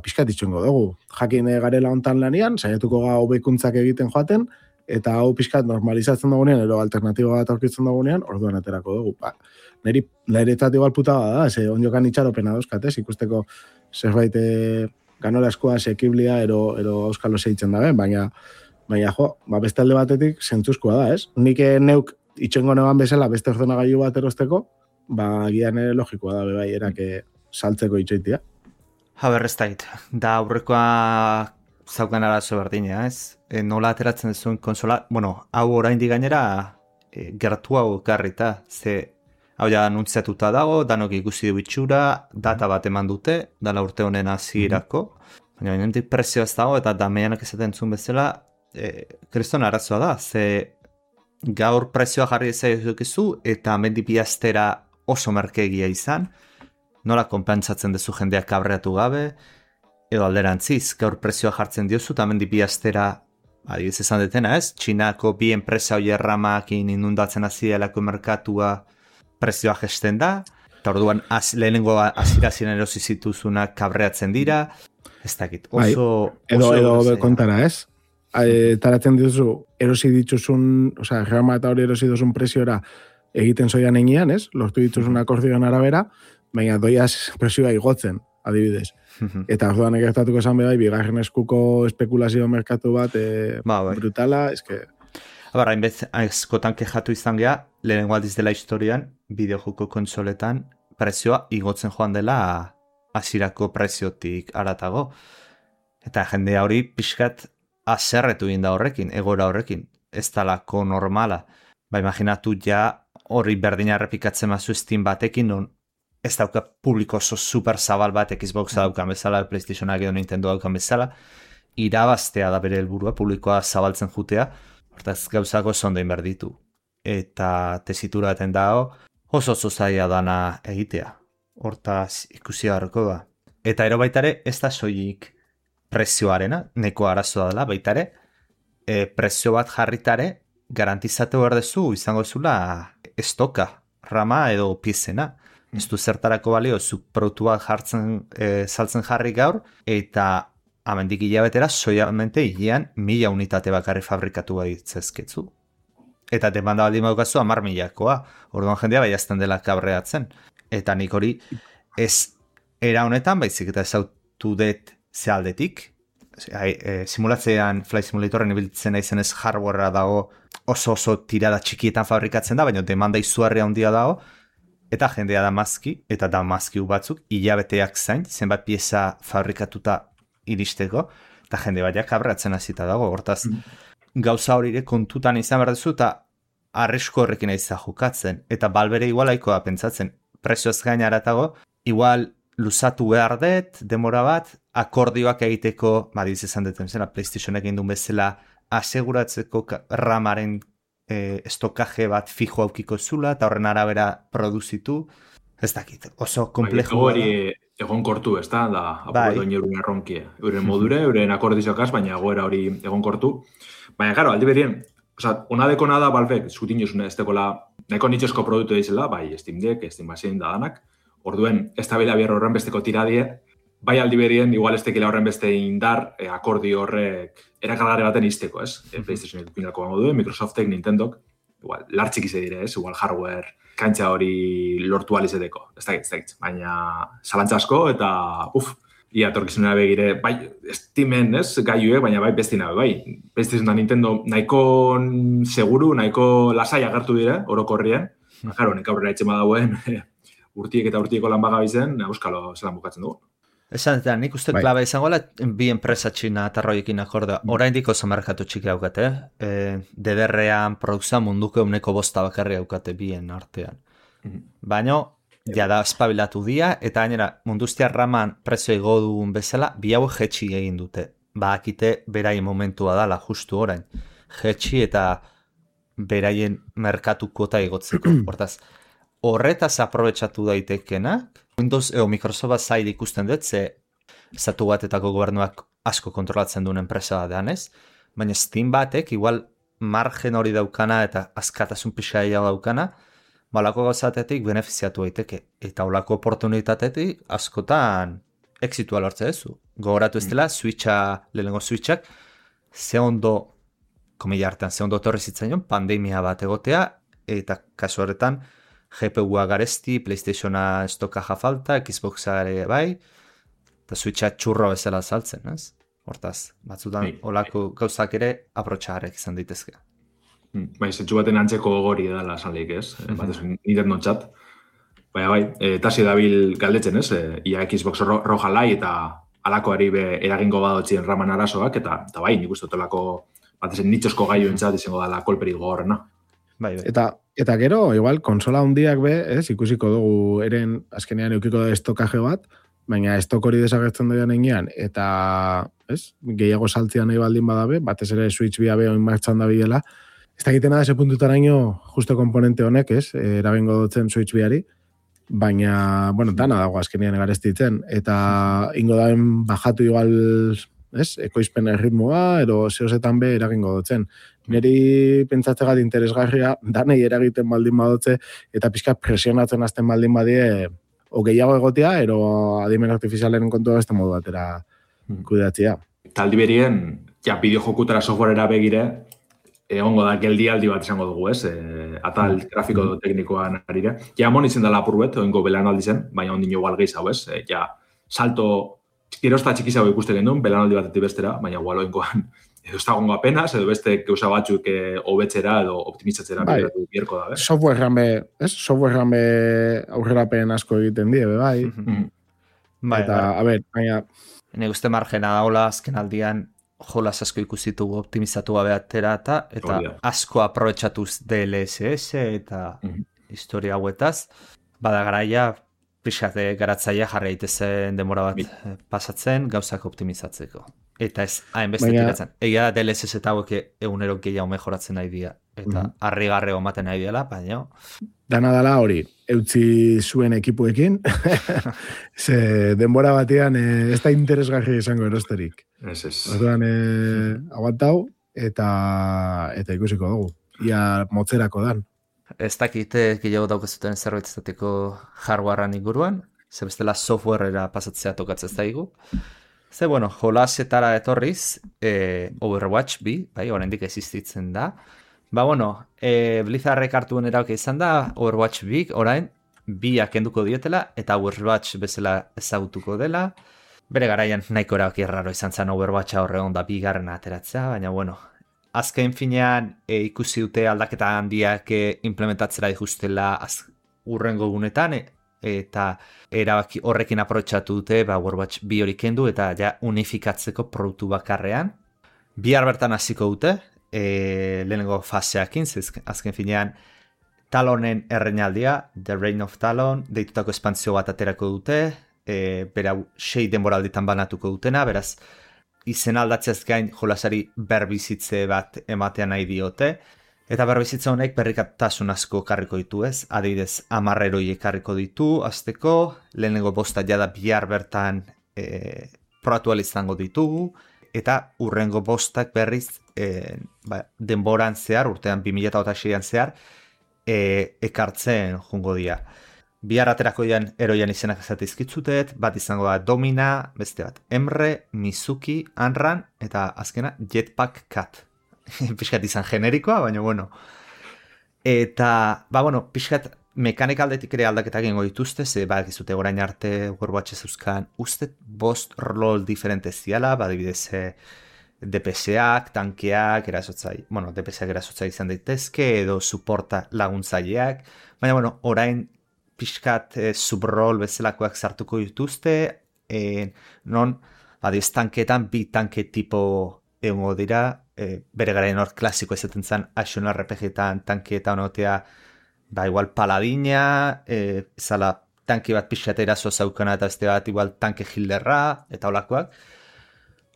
C: pixkat itxengo dugu. Jakin garela hontan lanian, saiatuko ga hobekuntzak egiten joaten, eta hau pixkat normalizatzen dugunean, ero alternatiba bat aurkitzen dugunean, orduan aterako dugu. Niretzat igual puta da, ondiokan itxaropena dauzkatez, ikusteko zerbait ganorazkoa, sekiblia, ero Euskalo zeitzen dabe, baina beste alde batetik zentzuzkoa da, ez? Nik neuk itxengo neban bezala beste ordenagailu bat erosteko, gian ere logikoa da, bai, erak saltzeko itxoitia.
E: Ez da aurrekoa zaukan arazo berdina, ez? Nola ateratzen duzuen konsola, hau oraindik gainera gertu hau garrita, hau ja anuntziatuta dago, danok ikusi du itxura, data bat eman dute, dala urte honen hasierako, baina nendik prezio ez dago, eta dameanak esaten zuen bezala, kriston arazoa da, gaur prezioa jarri ezaiokizu, eta mendi biaztera oso merkegia izan, nola konpentsatzen duzu jendeak kabreatu gabe, edo alderantziz, gaur prezioa jartzen diozu, eta mendi biaztera, adibidez esan detena ez, Txinako bi enpresa hoi erramakin inundatzen azielako merkatua, prezioa gesten da, eta orduan lehenengo aziraziren erosi zituzunak kabreatzen dira, ez dakit,
C: edo kontara, ez? Taratzen dituzu, erosi dituzun, reama eta hori erosi duzun preziora egiten zoian egian, ez? Lortu dituzun akordioan arabera, baina doiaz presioa igotzen, adibidez. Eta orduan egertatuko esan behar, bigarren eskuko espekulazio merkatu bat brutala, eske...
E: Hainbez, askotan kejatu izan geha, lehenengo aldiz dela historian, bideojoko kontsoletan, prezioa igotzen joan dela hasierako preziotik aratago. Eta jendea hori pixkat aserretu egin da horrekin, egora horrekin. ez dalako normala. Ba, imaginatu ja hori berdina errepikatzen mazu Steam batekin, non ez dauka publiko oso super zabal bat Xboxa daukan bezala, PlayStationak edo Nintendo daukan bezala, irabaztea da bere helburua, publikoa zabaltzen jutea, hortaz gauzako zondein berditu. Eta tesitura baten dago, oso zaila dana egitea. Hortaz ikusi beharko da. Eta ero baitare, ez da soilik prezioarena, neko arazoa dela, baitare, prezio bat jarritare, garantizatu behar dezu, izango zula estoka, rama edo piezena. Ez du zertarako balio, zu produktu bat saltzen jarri gaur, eta amendik hilabetera, soiamente hilean 1000 unitate bakarri fabrikatu baditzezketzu. Eta demanda baldin badukazu 10.000koa, orduan jendea baiazten dela kabreatzen. Eta nik hori ez era honetan, baizik eta ezautu dut zealdetik. Simulatzean, Flight Simulatorren ibiltzen naizen ez hardwarea dago oso tirada txikietan fabrikatzen da, baina demanda izugarria handia dago, eta jendea damazki, eta damazkiu batzuk, hilabeteak zain, zenbat pieza fabrikatuta iristeko, eta jende baiak kabreatzen hasita dago, hortaz, gauza horire kontutan izan behar duzu, eta arrisko horrekin aiza jokatzen, eta balbere igualaikoa pentsatzen, prezioz gainaratago, igual luzatu behar dut, demora bat, akordioak egiteko, badiz esan duten zela, PlayStationek egin duen bezala, aseguratzeko ramaren estokaje bat fijo aukiko zula, eta horren arabera produzitu, ez dakit, oso komplejo.
D: Hori egon kortu, ez da apurretu euren erronkie. Euren modure, euren akordizokaz, baina goera hori egon kortu. Baina, claro, aldi berien, ona dekona da, Valvek, zutin jozune, ez dekola, nahiko nitxosko produktu edizela, bai, Steam Deck, Steam Machine da danak, orduen, ez da bila bierro horren besteko tiradie, bai aldi berien, igual ez tekila horren beste indar, akordio horrek erakargare baten izteko, ez? PlayStation epinako bango duen, Microsoftek, Nintendok, igual, lartxik ize dire, ez? Igual hardware, kantxa hori lortu alizeteko, ez dakit, baina zalantza asko, eta, ia torkizunera begire, bai, Steamen, ez, gaiuek, baina bai bestina, bai. PlayStation da Nintendo nahiko seguru, nahiko lasai agertu dire, orokorrien, jaro, nek aurrera etxema dauen, urtiek eta urtieko lan bagabizen, euskalo zelan bukatzen dugu.
E: Esan eta nik uste klabe izangoela bi enpresa txina eta roiekin akordea. Oraindik oso merkatu txiki daukate. DDR-ean produkzioa munduko 5% bakarri daukate bien artean. Baina, ja da espabilatu dia, eta gainera munduztiar raman prezio igo dugun bezala, bi hau jetxi egin dute. Bakite beraien momentua dala, justu orain. Jetxi eta beraien merkatu kota igotzeko. Hortaz, horretaz aprobetxatu daitekenak, Windows edo Microsoft zail ikusten dut, ze estatu batetako gobernuak asko kontrolatzen duen enpresa da ez, baina Steam batek igual margen hori daukana eta askatasun pixaia daukana, balako gauzatetik benefiziatu daiteke. Eta olako oportunitatetik askotan exitua lortze duzu. Gogoratu ez dela, lehenengo Switchak, ze ondo, komila hartan, ze ondo torri zitzaion, pandemia bat egotea, eta kasu horretan, GPU-a garesti, PlayStationa estokaja falta, Xboxa ere bai, eta Switcha txurro bezala saltzen, ez? Hortaz, batzutan olako gauzak ere aprotxagarek izan daitezke.
D: Bai, zentsu baten antzeko gori edala sanleik, ez? Batez, Nintendo txat. Baina bai, tasi dabil galdetzen, ez? Ia Xbox roja lai eta alakoari eragingo badotzien raman arazoak, eta bai, nik uste otolako batez, nitxosko gaio entzat izango dala kolperik gogorrena.
E: Bai.
C: Eta gero, igual, konsola hundiak be, ez, ikusiko dugu eren azkenean eukiko da estokaje bat, baina estok hori desagertzen doian enean, eta, ez, gehiago saltzia nahi baldin badabe, batez ere Switch bia be oin martxan da biela, ez dakitena da ese puntutaraino justo komponente honek, ez, erabengo dutzen Switch biari, baina, bueno, dana dago azkenean garestitzen, eta ingo daen bajatu igual, ez, ekoizpen erritmoa, ero zehozetan be eragingo dutzen. Neri pentsatzegat interesgarria, danei eragiten baldin badotze, eta pixka presionatzen azten baldin badie, o gehiago egotea, ero adimen artifizialen kontua beste modu batera kudeatzea.
D: Taldi berien, ja, bideojokutara softwarera begire, egongo da geldialdi bat izango dugu, ez? Atal grafiko teknikoan arire. Ja, monitzen dela apurbet, oingo belanaldi zen, baina ondino igual gehiago, ez? Ja, salto, erosta txikizago ikusten genuen, belanaldi batetik bestera, baina igual oingoan, edo ez dagoengo apenas, edo beste gauza batzuk hobetzera edo optimizatzera bierko da,
C: Softwarean be aurrerapen asko egiten die, bai.
E: Bai,
C: eta, a ber, baina...
E: Ne uste margena daola azken aldian jolas asko ikusitugu optimizatu gabe atera eta asko aprobetxatuz DLSS eta historia hauetaz, bada garaia pixate garatzaia jarri daitezen denbora bat pasatzen gauzak optimizatzeko. Eta ez hainbeste tiratzen. Egia da DLSS eta hauek egunero gehiago mejoratzen nahi dira. Eta harrigarreo ematen nahi dela, baina...
C: Dana dala hori, eutzi zuen ekipuekin, ze denbora batean ez da interesgarri izango erosterik.
D: Ez.
C: Orduan aguantau eta ikusiko dugu. Ia motzerako dan.
E: Ez dakite gehiago daukazuten zerbait izateko hardwarean inguruan, ze bestela softwarera pasatzea tokatzen ez daigu. Ze, bueno, jolasetara etorriz, Overwatch 2, bai, oraindik existitzen da. Ba, bueno, Blizzardrek hartuen erauke izan da, Overwatch 2, orain, 2 kenduko dietela, eta Overwatch bezala ezagutuko dela. Bere garaian nahiko erauke erraro izan zen Overwatcha horregon da 2. ateratzea, baina, bueno, azken finean ikusi dute aldaketa handiak implementatzera dijustela urrengo gunetan, eta erabaki horrekin aprobetxatu dute Overwatch 2 hori kendu eta ja unifikatzeko produktu bakarrean. Bihar bertan hasiko dute, lehenengo faseakin, azken finean Talonen erreinaldia, The Reign of Talon, deitutako espantzio bat aterako dute, bera 6 denboralditan banatuko dutena, beraz izen aldatzeaz gain jolasari berbizitze bat ematean nahi diote, eta berbizitza honek berrikatasun asko karriko ditu ez, adibidez 10 heroi ekarriko ditu, azteko, lehenengo bosta jada bihar bertan probatu izango ditugu, eta urrengo bostak berriz denboran zehar, urtean 2006an zehar, ekartzen jungo dira. Bihar aterako eroian izenak ezatizkitzutet, bat izango da Domina, beste bat Emre, Mizuki, Anran, eta azkena Jetpack Cat. Piskat izan generikoa, baina bueno. Eta, piskat mekanik aldetik ere aldaketak egingo dituzte, ze badakizute orain arte Overwatch zeuzkan ustet 5 rol diferente ziala, badibidez DPS-ak, tankeak, DPS-ak erasotzai izan daitezke, edo supporta laguntzaileak, baina orain piskat subrol bezalakoak sartuko dituzte, non, tanketan 2 tanke tipo egongo dira, bere garaien hor klasiko ezaten zen action RPG-etan tankeetan honotea, igual paladina, zala tanke bat piskat eraso zaukana eta beste bat igual tanke hilderra, eta holakoak.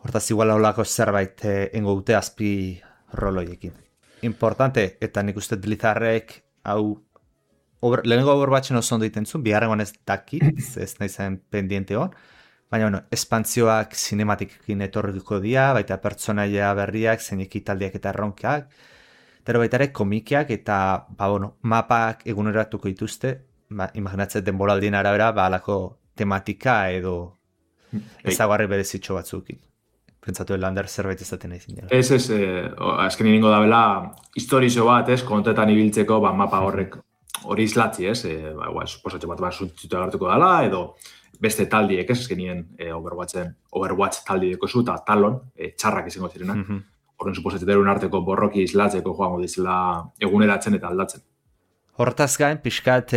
E: Hortaz igual holako zerbait engo dute azpi roloiekin. Importante, eta nik uste Blizzardrek hau lehenengo Overwatchen oso ondo itentzun, biharrengoan ez dakit, ez nahi zen pendiente hon, baina espantzioak sinematikekin etorriko dira, baita pertsonaia berriak, zein ekitaldiak eta erronkak, eta baita ere komikiak eta mapak eguneratuko dituzte, imaginatzen denboraldien arabera, alako tematika edo ezagarri berezitxo batzukin. Pentsatu Lander zerbait ezaten nahi zindela.
D: Ez, azken ingo da bela, historizo bat, kontetan ibiltzeko, mapa horrek hori izlatzi, suposatxe bat zuntzitu agartuko dela, edo beste taldiek, azkenien Overwatch taldieko zu, eta Talon, txarrak izango zirena. Horren suposatxe derun arteko borroki izlatzeko joango dizela eguneratzen eta aldatzen.
E: Hortaz gain, pixkat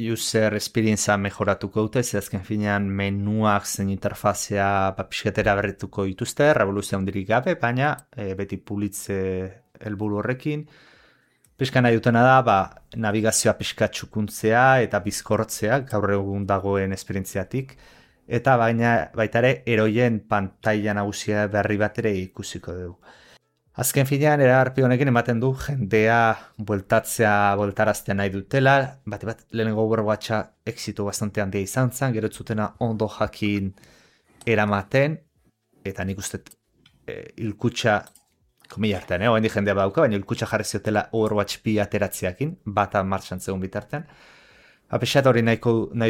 E: user experience mejoratuko dute, ze azken finean menuak zen interfazea pixkatera berrituko dituzte, revoluzio handirik gabe, baina beti pulitze helburu horrekin. Pixka nahi dutena da, navigazioa pixkat txukuntzea eta bizkortzea, gaur egun dagoen esperientziatik, eta baita ere eroien pantaila nagusia berri bat ere ikusiko dugu. Azken finean, eragarpi honekin ematen du jendea bueltaraztea nahi dutela, bat lehenengo Overwatcha exito bastante handia izan zen, gero zutena ondo jakin eramaten, eta nik uste hilkutxa, komila artean, oen di jendea badauka, baina hilkutxa jarri ziotela Overwatch 2 ateratziakin, bata martxan zegoen bitartean. Apexat hori nahi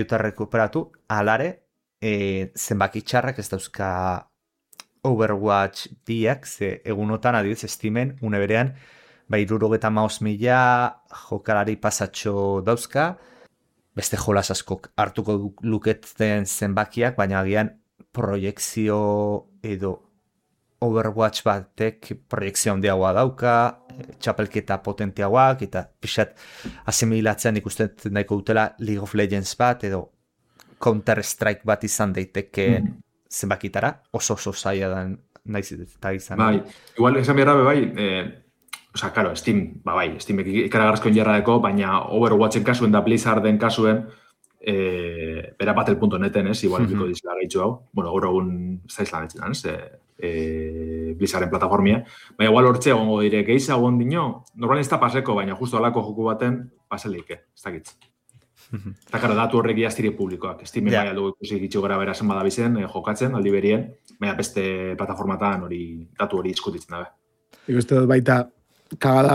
E: dut rekuperatu, alare, zenbaki txarrak ez dauzka Overwatch 2-ak, ze egunotan adibidez estimen, une berean, 75,000 jokalari pasatxo dauzka, beste jolas askok hartuko luketen zenbakiak, baina agian proiekzio edo Overwatch batek proiekzio handiagoa dauka, txapelketa potenteagoak, eta pixat asimilatzean ikusten nahiko dutela League of Legends bat, edo Counter-Strike bat izan daiteke zenbakitara, oso zaila den naiz eta izan.
D: Bai, igual esan behar bai, claro, Steamek ikaragarrizko injarradeko, baina Overwatchen kasuen da Blizzarden kasuen, bera Battle.neten, igual biko dizela gaitxu hau. Bueno, gaur egun zaizlan etxetan, Blizzarden plataformia. Baina igual hortxe egongo dire, gehiago ondino, normalin ez da paseko, baina justo alako joku baten paseleike, ez dakitz. Eta karo, datu horrek iaztiri publikoak. Steamen bai aldugu ikusi gitxu gara bera zen badabizen, jokatzen, aldi berien, baina beste plataformatan datu hori diskutitzen dabe.
C: Ikuste dut baita,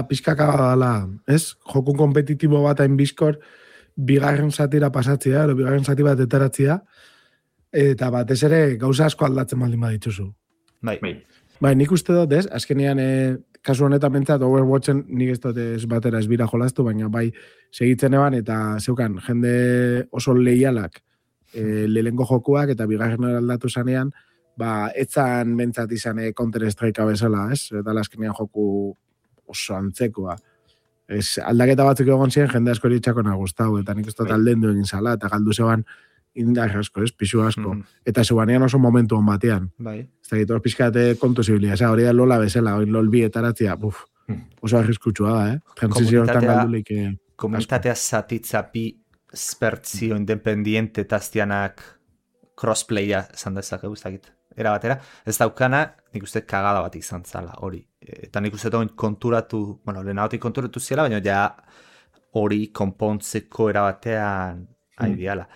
C: pixka kagada dela, ez? Joku kompetitibo bat hain bizkor, bigarren zatira pasatzea, bigarren zati bat etaratzea, eta batez ere gauza asko aldatzen baldin baditzuzu. Bai, nik uste dut, ez? Azkenean, kasu honetan bentsat, Overwatchen nik ez dut ez batera ez bira jolaztu, baina bai segitzen eban, eta zeukan, jende oso leialak lehengo jokuak, eta bigarren aldatu zanean, etzan bentsat izan Counter-Strike bezala, ez? Eta azkenean joku oso antzekoa. Aldaketa batzuk egon ziren, jende asko eritxakona guztau, eta nik ez dut aldendu egin zala, eta galdu zeban indar asko, pisu asko. Eta zeuanean oso momentu hon batean. Ez da gitu, pixkate kontu zibilia. Hori da lola bezala, hori lol bi etaratzia, oso arriskutsua da, Transizio hortan galdulik.
E: Komunitatea zatitza bi spertzio independiente taztianak crossplaya esan dezakegu, ez dakit. Era batera, ez daukana, nik uste kagada bat izan zala, hori. Eta nik uste konturatu, lehenagotik konturatu ziela, baina ja hori konpontzeko era batean aideala.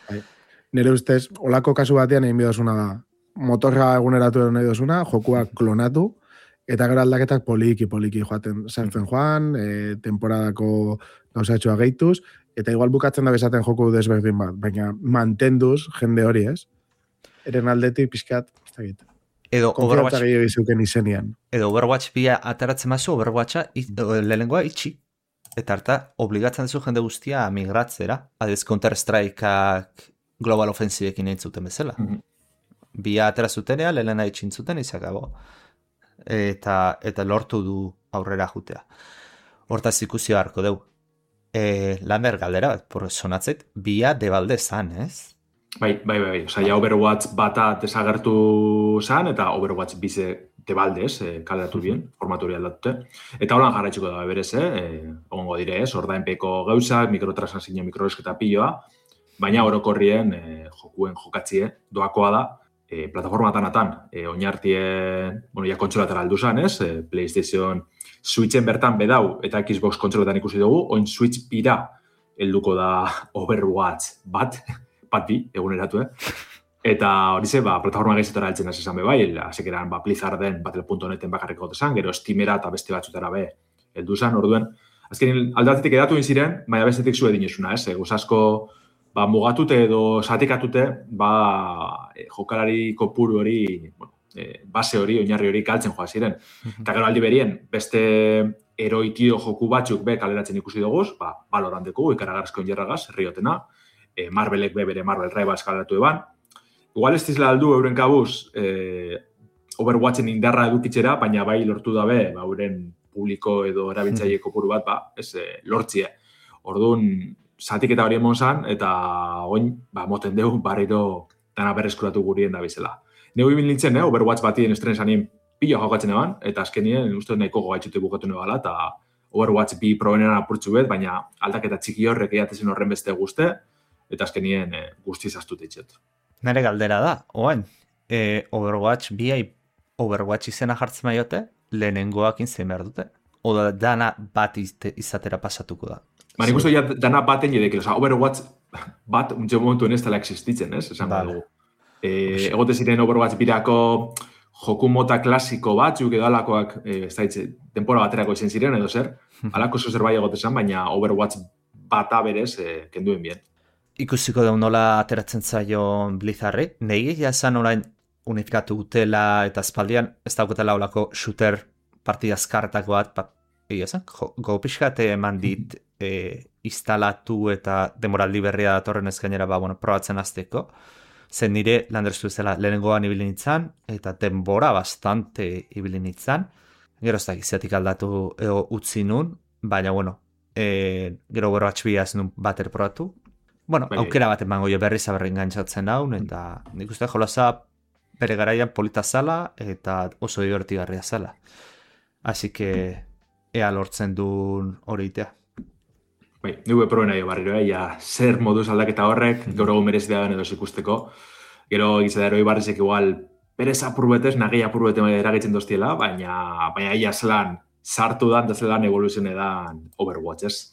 C: Nire ustez, olako kasu batean egin bidozuna da. Motorra eguneratu nahi dozuna, jokuak klonatu, eta gero aldaketak poliki joaten sartzen joan, temporadako gauzatxoa gehituz, eta igual bukatzen da bezaten joku desberdin bat, baina mantenduz jende hori, ez? Eren aldetik pixkat, ez da egiten.
E: Edo
C: Overwatch
E: bia ataratzen mazu, Overwatcha lehenengoa itxi. Eta harta, obligatzen duzu jende guztia migratzera. Adez, Counter-Strikeak Global Offensiveekin egin zuten bezala. Bia atera zutenea, lehena itxin zuten, izakago. Eta lortu du aurrera jutea. Hortaz ikusi beharko deu. Lander galdera, sonatzeit, bia debalde zan, ez?
D: Bai. Ja Overwatch bata desagertu zan, eta Overwatch bize debalde, kaleratu bien, formatu hori aldatute. Eta holan jarraitxuko da berez, ongo dire, ordainpeko gauzak, mikrotransakzio, mikroesketa piloa, baina orokorrien jokuen jokatzie doakoa da, plataformatan, oinartien, ja kontsolatara aldu zan, PlayStation Switchen bertan bedau, eta Xbox kontsolatan ikusi dugu, oin Switch bira helduko da Overwatch bat bi, eguneratu, Eta hori ze, plataforma gehizetara altzen da esan bai, azekeran Blizzarden Battle.neten bakarriko dezan, gero Steamera eta beste batzutara heldu zan, orduen. Azkenin aldatetik edatu ziren, baina bestetik zu edinesuna, Guzasko mugatute edo zatikatute, jokalari kopuru hori, base hori, oinarri hori galtzen joa ziren. Eta gero aldi berien, beste eroitio joku batzuk kaleratzen ikusi dugu, Valoranteko, ikaragarrizko injerragaz, herriotena, Marvelek bere Marvel Rivals kaleratu eban. Igual ez dizela aldu euren kabuz Overwatchen indarra edukitzera, baina bai lortu dabe, euren publiko edo erabiltzaile kopuru bat, lortzie. Orduan, zatiketa hori emon zan, eta oin, moten dugu, barriro dana berreskuratu gurien da bizela. Neu ibil nintzen, Overwatch batien estren zanien pila jokatzen eban, eta azkenien, uste nahiko gogaitxute bukatu nebala, eta Overwatch bi probenean apurtzu bet, baina aldaketa txiki horrek eatezen horren beste guzte, eta azkenien guztiz astut eitxet.
E: Nere galdera da, oain, Overwatch biai Overwatch izena jartzen maiote, lehenengoak inzein behar dute? Oda dana bat izatera pasatuko da?
D: Nik uste dana baten jedek, Overwatch bat untxe momentuen ez dela existitzen, esan dugu. Egote ziren Overwatch birako joku mota klasiko batzuk edo alakoak, denpora baterako izan ziren edo zer, alako zozer bai egote zan, baina Overwatch bata berez kenduen bien.
E: Ikusiko da nola ateratzen zaio Blizzarri, negi jazan orain unifikatu gutela eta espaldian ez dauketela olako shooter partida azkarretako bat, gopixkate eman dit instalatu eta demoraldi berria datorren ez gainera probatzen azteko, zen nire landerzu zela lehenengoan ibili nintzen eta denbora bastante ibili nintzen, gero ez da giziatik aldatu utzi nun, baina gero Overwatch bia ez nun bater probatu. Aukera bat emango jo berriz aberrin gantzatzen haun, eta nik uste jolaza bere garaian polita zala eta oso divertigarria zala. Así que ea lortzen duen hori itea.
D: Bai, nire proben nahi barriro, ja, zer moduz aldaketa horrek, gaur egun merezi da edo ikusteko. Gero egitza da eroi barrizek igual, perez apurubetez, nagei apurubete eragitzen doztiela, baina ia zelan sartu dan, da zelan evoluzioen edan Overwatch, ez?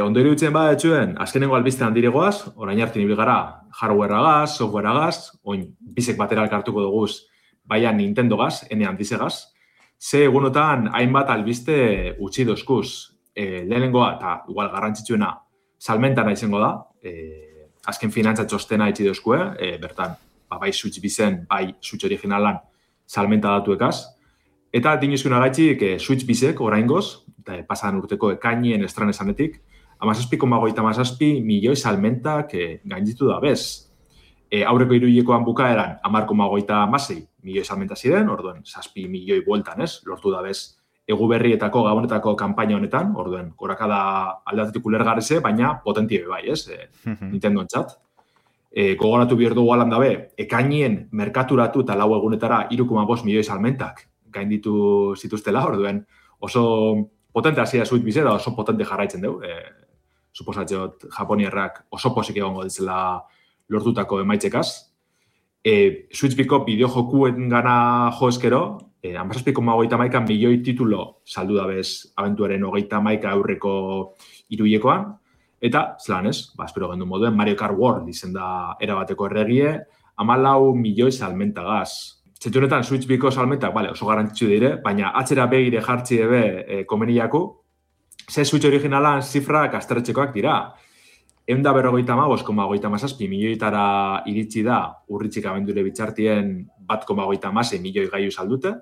D: Ondo iruditzen etxuen, azkenengo albiztean diregoaz, orain hartin ibil gara hardwareagaz, softwareagaz, oin bizek batera elkartuko duguz, baina Nintendogaz, ene handizegaz, ze egunotan hainbat albiste utzi dozkuz. Lehenengoa, eta igual garrantzitsuena, salmentana izango da, azken finantza txostena itxi dozkue, bertan, bai Switch bizen, bai Switch originalan salmenta datuekaz, eta dinizkuna gaitxik Switch bizek oraingoz, eta pasan urteko ekainien estran esanetik, 17,57 milioi salmentak gainditu da bez. Aurreko hiruhilekoan bukaeran 10,56 milioi salmenta ziren, orduen 7 milioi bueltan, ez? Lortu da bez egu berrietako, gabonetako kanpaina honetan, orduen, gorakada aldatetik ulergarrize, baina potentie bai, ez? Nintendo entzat. Gogoratu bihar dugu alan dabe, ekainien merkaturatu eta lau egunetara 3,5 milioi salmentak gainditu zituztela, orduen, oso potente hasia Switch bizera, oso potente jarraitzen dugu. Suposatxot, Japoniarrak oso posik egongo ditzela lortutako emaitzekaz. Switch biko bideo jokuen gana jo eskero, 17,31 milioi titulo saldu da bez abentuaren 31 aurreko hiruhilekoan, eta, zelan ez, espero gendu moduen, Mario Kart World izen da erabateko erregie, 14 milioi salmentagaz. Zentunetan, Switch biko salmentak, oso garrantzitsu dire, baina atzera begire jartzi ebe komeniaku, ze Switch originalan zifrak asterretxekoak dira. 155,57 milioitara iritsi da urritxik abendure bitxartien 1,56 milioi gaiu saldute,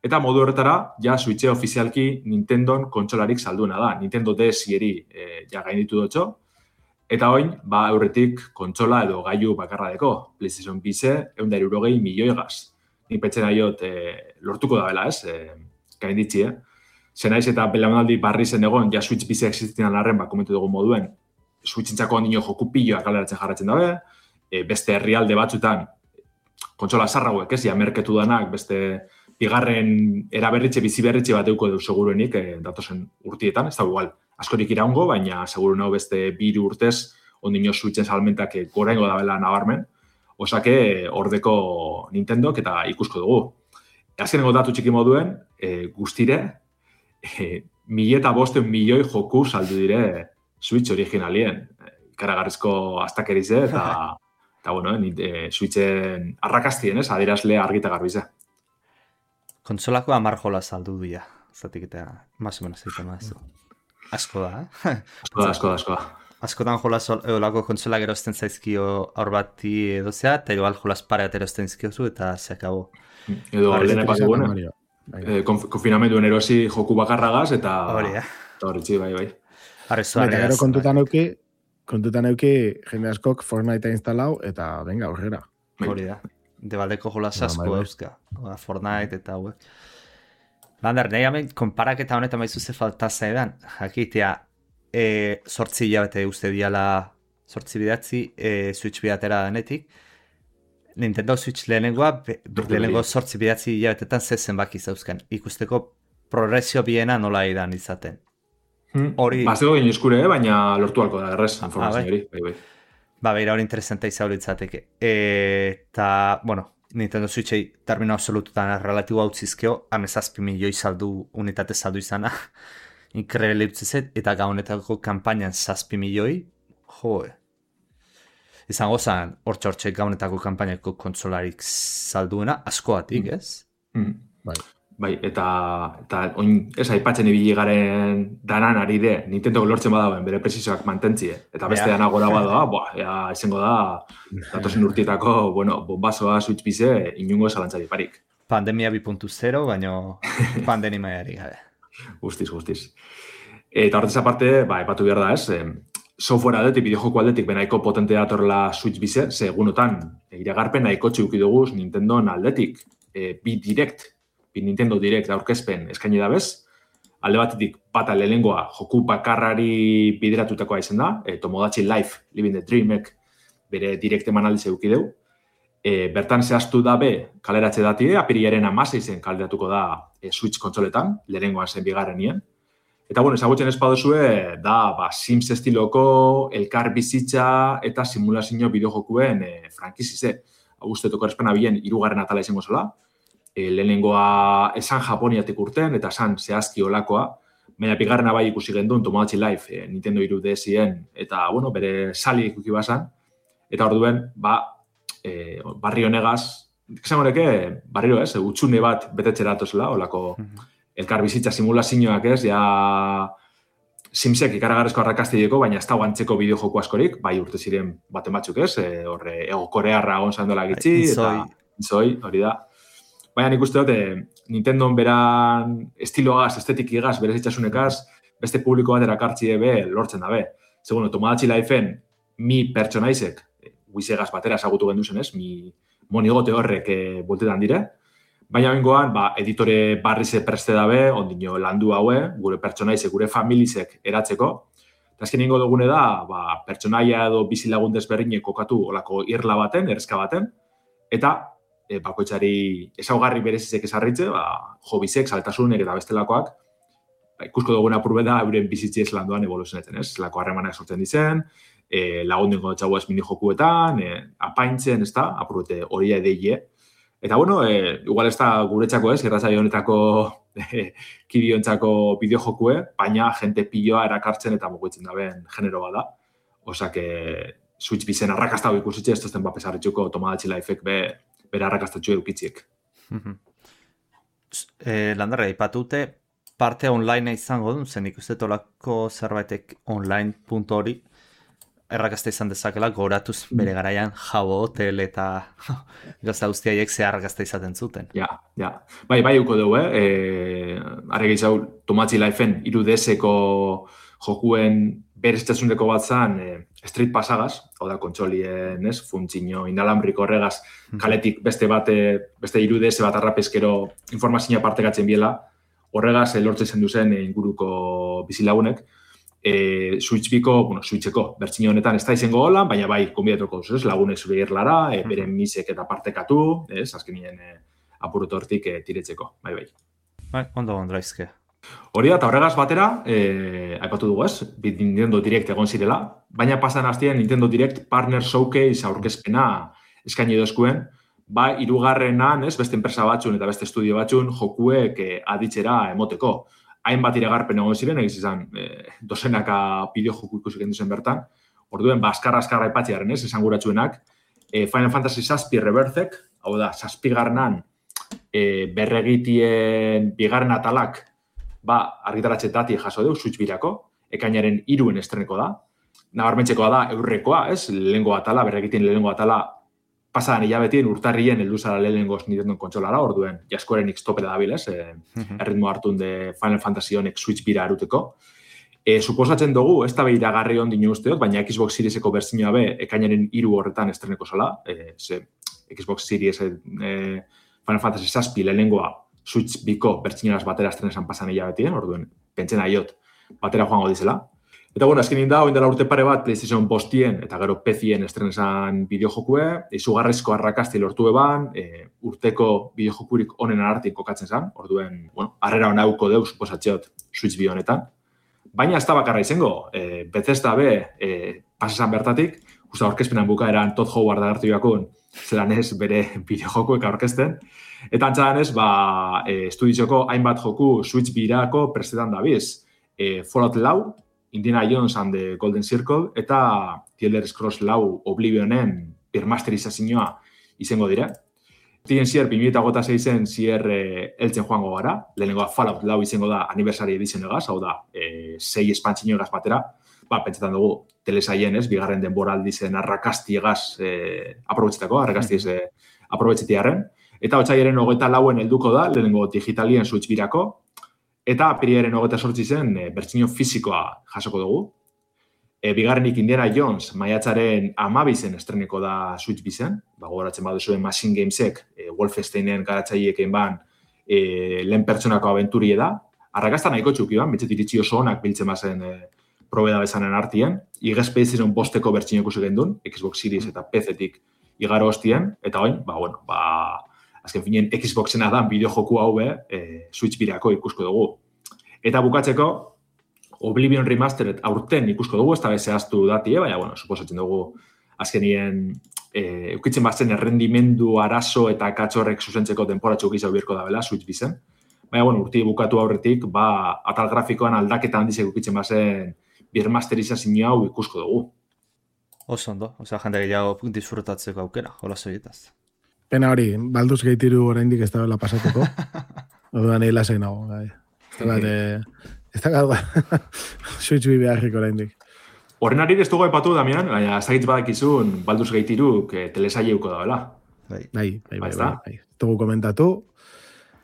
D: eta modu horretara, ja Switche ofizialki Nintendon kontsolarik salduena da. Nintendo DS-eri ja gainditu dutxo, eta oin, aurretik kontsola edo gaiu bakarra deko, PlayStation Bize, 160 milioi gaz. Nik petzen aiot lortuko da bela, ez? Gainditzi, Zenaiz eta belaunaldi barri zen egon, ja Switch Bize existinan arren, komentu dugu moduen, Switchintzako ondino joku pilloak kaleratzen jarratzen dabe, beste herrialde batzutan, kontsola zarrauek, ez, merketu danak, beste bigarren eraberritxe, bizi berritxe bat euko edo seguruenik datozen urtietan, ez da igual, askorik iraungo, baina seguru nago beste 2 urtez ondino Switchen salmentak gorengo da bela nabarmen, osake ordeko Nintendok eta ikusko dugu. Azkenengo datu txiki moduen, guztire, 1,5 milioi joku saldu dire Switch originalien, ikaragarrizko astakerize eta bueno, Switchen arrakastien, ez, adierazle argita garbize.
E: Kontsolako 10 jola saldu dira, zatik eta más o menos egiten mazu. Asko da,
D: Asko da.
E: Askotan jolas olako kontsolak erosten zaizkio aur bati edozea, eta igual jolas pareat erosten zizkiozu eta se acabó.
D: Edo lehen epatu gune, konfinamenduen erosi joku bakarragaz eta horretzi, bai.
C: Eta gero kontutan euki jende askok Fortnite instalau eta venga, aurrera.
E: Hori da. Debaldeko jolas asko euska. Fortnite eta hauek. Lander, nahi hamen, konparaketa honetan baizu ze faltaza edan. Jakitea, 8 hilabete uste diala 8 bidatzi, Switch bidatera denetik. Nintendo Switch lehenengo 8 bidatzi hilabetetan zezen baki zauzkan. Ikusteko progresio biena nola edan izaten. Hori...
D: Bazego gine eskure, baina lortu alko da, errez, informazio hori.
E: Beira hori interesanta izan litzateke. Eta, bueno, Nintendo Switchei termino absolututan relatibo hau zizkeo, 17 milioi saldu, unitate saldu izana, inkrebele utzizet, eta gaunetako kampainan 7 milioi, izango zan, hortxe gaunetako kampainako kontsolarik salduena, askoatik, ez?
D: Bai, eta oin, ez aipatzen ibili garen danan ari de, Nintendo lortzen badauen, bere presizoak mantentzie, eta beste dana gora badoa, izango da, datozen urtietako, bombazoa Switch bize, inungo zalantzari parik.
E: Pandemia 2.0, baina pandemia maiari gabe.
D: Guztiz. Eta horretaz aparte, aipatu behar da, ez, software aldetik, bideojoko aldetik, benaiko potente datorla Switch bize, segunotan, iragarpen nahiko txuki duguz Nintendo aldetik, bi Nintendo Direct aurkezpen eskaini da bez, alde batetik bata lehenengoa joku bakarrari bideratutakoa izan da, Tomodachi Life, Living the Dreamek bere Direct emanaldiz eduki deu, bertan zehaztu dabe kaleratze dati, apirilaren 16 kaleratuko da Switch kontsoletan, lehenengoan zen bigarrenien. Eta, ezagutzen ez baduzue, da, Sims estiloko, elkar bizitza eta simulazio bideojokuen frankizize. Guztetoko errespena bien, 3. atala izango zela. Lehenengoa esan Japoniatik urten, eta esan zehazki olakoa. Baina bigarrena bai ikusi gendun, Tomodachi Life, Nintendo 3DSen, eta, bere sali ikuki bazan. Eta orduen, barri honegaz, esango neke, barriro ez, utxune bat betetxera atozela, olako elkar bizitza simulazioak ez, Simsek ikaragarrezko arrakastideko, baina ez da guantzeko bideojoko askorik, bai urte ziren baten batzuk ez, horre ego korearra gonzan dola gitzi, eta inzoi, hori da. Baina nik uste dut, Nintendon beran estiloagaz, estetikigaz, berez itxasunekaz, beste publiko bat erakartzi ebe lortzen dabe. Segundo, Tomodachi Lifeen mi pertsonaizek, guizegaz batera esagutu genduzen ez, mi monigote horrek boltetan dire, baina bengoan, editore barrize preste dabe, ondino landu haue, gure pertsonaizek, gure familizek eratzeko. Eta azken ingo dugune da, pertsonaia edo bizilagun desberdinek kokatu olako irla baten, errezka baten, eta bakoitzari ezaugarri berezizek esarritze, hobizek, saltasunek eta bestelakoak, ikusko duguna apurbe da, euren bizitzi ez landuan evoluzionetzen, ez? Lako harremanak sortzen dizen, lagundengo txago ez mini-jokuetan, apaintzen, ez da, apurbete horia edeie. Eta, igual ez da guretzako ez, irratzaio honetako kidiontzako bideojokue, baina jente piloa erakartzen eta mugitzen daben genero bada. Osak, Switch bizen arrakastau ikusitxe, ez tozten pesarritxuko Tomodachi Lifeek bere arrakastatxu edukitziek.
E: Landarra, ipatute, parte online izango duen, zen ikuste tolako zerbaitek online.hori, errakazta izan dezakela, goratuz bere garaian Jabo Hotel eta gazta guztiaiek ze arrakazta izaten zuten.
D: Ja. Bai uko dugu, Arregi zau, Tomodachi Lifeen 3DSeko jokuen bereztasuneko bat zan Street Passagaz, hau da kontsolien, funtzio inalambriko horregaz, kaletik beste 3DS bat arrapezkero informazioa partekatzen biela, horregaz lortzen zen duzen inguruko bizilagunek, Switcheko bertsio honetan ez da izango holan, baina bai, konbidatuko duz, lagunek zure irlara, beren misek eta partekatu, azkenien apuruto hortik tiretzeko, bai.
E: Bai, ondo ondraizke.
D: Hori da, eta horregaz batera, aipatu dugu ez, Nintendo Direct egon zirela, baina pasan hastien Nintendo Direct Partner Showcase aurkezpena eskaini dozkuen, hirugarrenan, beste enpresa batzun eta beste estudio batzun jokuek aditzera emoteko. Hainbat iragarpen egon ziren, egiz izan, dozenaka bideojoku ikusi genduzen bertan. Orduen, askarra ipatziaren, esan guratxuenak. Final Fantasy VII Rebirthek, hau da, 7. Berregitien bigarren atalak, argitaratxe dati jaso deu, Switch birako, ekainaren 3 estreneko da. Nabarmentzekoa da, eurrekoa, lehengo atala, berregitien lehengo atala, pasadan hilabetien urtarrien helduzara lehenengoz Nintendo kontsolara, orduen jaskoren X-tope da dabil, erritmo hartun de Final Fantasy honek Switch bira aruteko. Suposatzen dugu, ez da behiragarri ondino usteot, baina Xbox Serieseko bertzioa be, ekainaren 3 horretan estreneko zala, Xbox Series Final Fantasy VII lehenengoa Switch biko bertzioaz batera estrenesan pasan hilabetien, orduen pentsen aiot batera joango dizela. Eta, azkenin da, oindela urte pare bat PlayStation postien eta gero PC-en estrenesan bideojokue, izugarrizko arrakasti lortu eban, urteko bideojokurik onen artik kokatzen zen, orduen, harrera honauko deu, suposatzeot, Switch bi honetan. Baina ez da bakarra izango, Bethesda be, pasesan bertatik, usta aurkezpenan bukaeran Todd Howard agertu jakun, zelan ez bere bideojokuek aurkezten, eta antzadan ez, estudizioko hainbat joku Switch birako prestetan dabiz, Fallout 4, Indiana Jones and the Golden Circle, eta The Elder Scrolls 4 Oblivionen birmasterizazioa izango dira. Tien zier, 2006-en zier eltzen joango gara, lehenengoa Fallout 4 izango da aniversari edition egaz, hau da, 6 espantzino egaz batera, pentsetan dugu, telesaien bigarren denboraldi zen arrakasti egaz aprobetxetako, arrakasti ez aprobetxetiaren, eta otxaiaren 24-en helduko da, lehenengo digitalien Switch birako, eta apiriaren 28 zen bertsio fisikoa jasoko dugu. Bigarrenik Indiana Jones maiatzaren 12 estreneko da Switch bizen, gogoratzen baduzuen Machine Gamesek, Wolfensteinen garatzaileekin lehen pertsonako abenturie da. Arrakasta nahiko txuki ban, betxet iritsi oso honak biltzen bazen probeda bezanen artien. Igezpe izan bosteko bertsio ikusi gendun, Xbox Series eta PC-tik igaro hostien, eta oin, azken finen Xboxena da bideojoku hau Switch birako ikusko dugu. Eta bukatzeko, Oblivion Remastered aurten ikusko dugu, ez da zehaztu datie, baina, suposatzen dugu azkenien eukitzen bazen errendimendu arazo eta katxorrek zuzentzeko denporatxo gizau birko da bela, Switch bizen. Baina, urti bukatu aurretik, atal grafikoan aldaketa handizek eukitzen bazen birmasterizazio hau ikusko dugu.
E: Oso ondo, jende gehiago disfrutatzeko aukera, jola zoietaz.
C: Pena hori, Baldur's Gate 3 oraindik ez da bela pasatuko. Orduan egin lasai nago, gai. Ez da gaua. Switch bi beharrik oraindik.
D: Horren ari ez dugu epatu, Damian, baina ez dakitz badakizun Baldur's Gate 3 telesaileuko da, bela?
C: Bai. Ez dugu komentatu.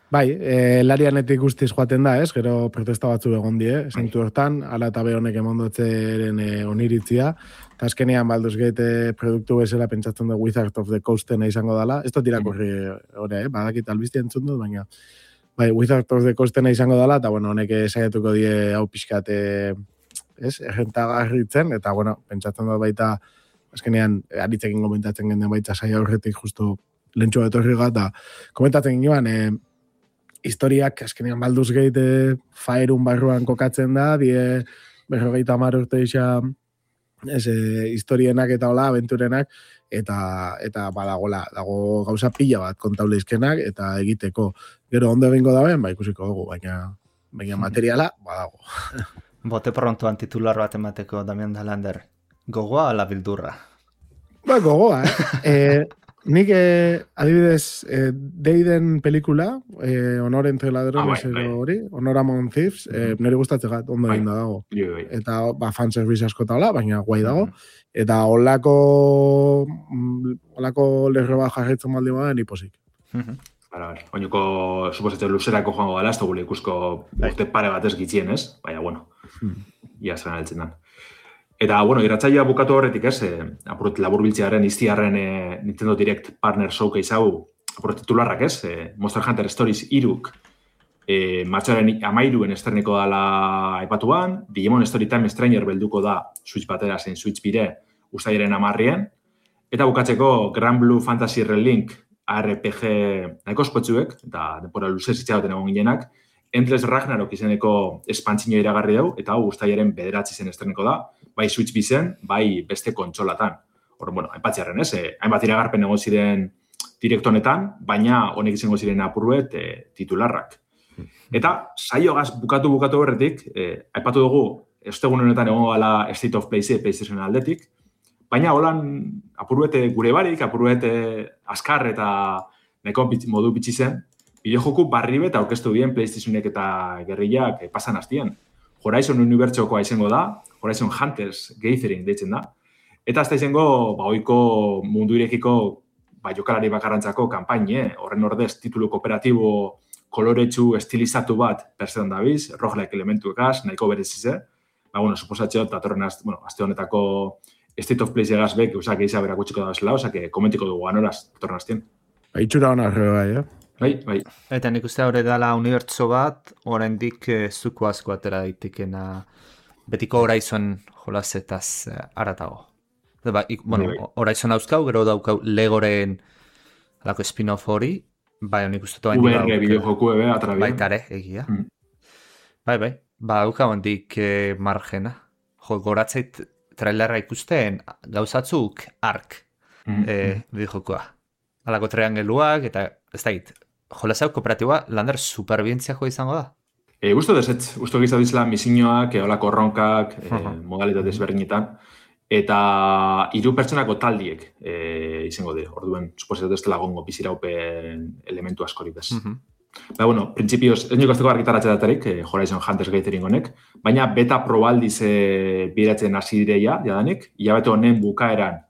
C: Bai, larianetik guztiz joaten da, ez? Gero protesta batzu egon die, zentu hortan, ala eta be honek emondotzeren oniritzia. Eta azkenean Baldur's Gate produktu bezala pentsatzen du Wizard of the Coastena izango dala. Ez dut irakurri hori, badakit albizti entzun dut, baina bai, Wizard of the Coastena izango dala, eta honek saiatuko die hau pixkat errentagarritzen, eta pentsatzen dut baita azkenean aritzekin komentatzen genden baita saia horretik justu lentxua etorriga, eta komentatzen ginen historiak, azkenean Baldur's Gate faerun barruan kokatzen da, 50 urte isa historienak eta hola, aventurenak, eta dago gauza pila bat kontaulezkenak, eta egiteko. Gero ondo egingo daben, ikusiko dugu, baina materiala, badago.
E: Bote prontoan titular bat emateko, Damian Dalander. Gogoa ala bildurra?
C: Gogoa, nik, adibidez, Deiden pelikula, Honor entre ladrones hori, Honor Among Thieves, nire gustatzen gat, ondo egin da dago. Eta fanservice asko taula, baina guai dago. Eta holako lerro bat jarretzen baldi baden hiposik.
D: Oinoko, suposatzen luzerako joango dela, ez dugu ikusko urte pare bat ez gitzien, ez? Baina, ia zelan altzen dan. Eta, irratzailea bukatu horretik, ez? Apurret laburbiltzearen, iztiarren Nintendo Direct Partner Showcase hau, apurret titularrak, ez? Monster Hunter Stories 3 martxoaren 13 esterneko dala aipatuan, Digimon Storytime Stranger belduko da Switch batera zen Switch bire uztailaren 10. Eta bukatzeko Grand Blue Fantasy Relink RPG nahiko ospotsuek, eta denpora luzez itxagoten egon ginenak, Endless Ragnarok izeneko espantzino iragarri dau, eta hau uztailaren 9 zen esterneko da, bai Switch bizen, bai beste kontsolatan. Horren, hainbatziarren, ez? Hainbat iragarpen egon ziren direkto honetan, baina honek izango ziren apurruet titularrak. Eta saiogaz bukatu horretik, aipatu dugu, ostegun honetan egon gala State of Play PlayStation aldetik, baina holan apurruet gure barik, apurruet askar eta neko modu bitxi zen, bideojoku barri bet aurkeztu bien PlayStationek eta gerrillak pasan hastien. Horizon Unibertsokoa izango da, Horizon Hunters Gathering deitzen da. Eta ez da izango, ohiko mundu irekiko jokalari bakarrantzako kanpaine, horren ordez titulu kooperatibo koloretsu estilizatu bat persedan dabiz, roguelike elementuekaz, nahiko berezize. Suposatxeo, datorren aste honetako State of Play egaz bek, usak eiza berakutxiko da bezala, osak komentiko dugu anoraz, datorren astien.
C: Itxura hona horre
D: Bai.
E: Eta nik uste hori dela unibertso bat, oraindik zuko asko atera daitekena betiko Horizon jolazetaz aratago. Horizon hauzkau, gero daukau Legoren alako spin-off hori, bai, nik uste toa
D: VR bideojoku ebe atrabien.
E: Baitare, egia. Bai, daukau handik margena. Goratzeit trailerra ikusten gauzatzuk ark bideojokoa. Alako triangeluak eta ez da hit. Jolazau kooperatiboa lander superbientziako izango da?
D: Gusto desetz. Gusto gizau dizela misioak, olako ronkak, modalitate desberdinetan. Eta 3 pertsonako taldiek izango de. Orduen, suposatu ez dela gongo biziraupen elementu askorik bez. Printzipioz, ez niko azteko argitaratze datarik, Horizon Hunters Gathering honek, baina beta probaldiz biratzen hasi direia, jadanik, hilabete honen bukaeran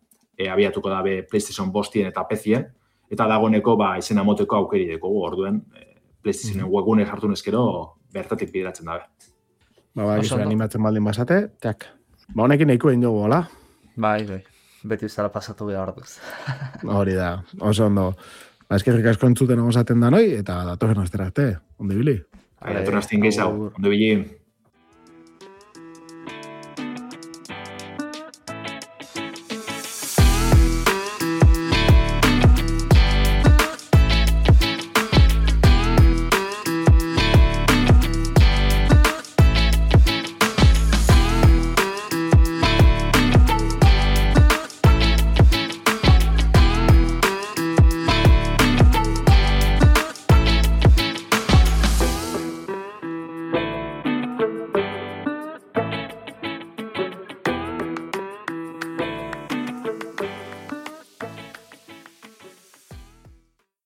D: abiatuko dabe PlayStation 5 eta PC-en, eta dagoeneko izena moteko aukeri dekogu, orduen PlayStationen webgune sartu neskero bertatik bideratzen dabe.
C: Gizu animatzen baldin basate, tak. Honekin nahiko egin dugu, hola?
E: Bai, beti zara pasatu behar duz.
C: Hori da, oso ondo. Eskerrik asko entzuten osaten da noi, eta datorren astera arte, ondo ibili.
D: Datorren astien gehiago, ondo ibili.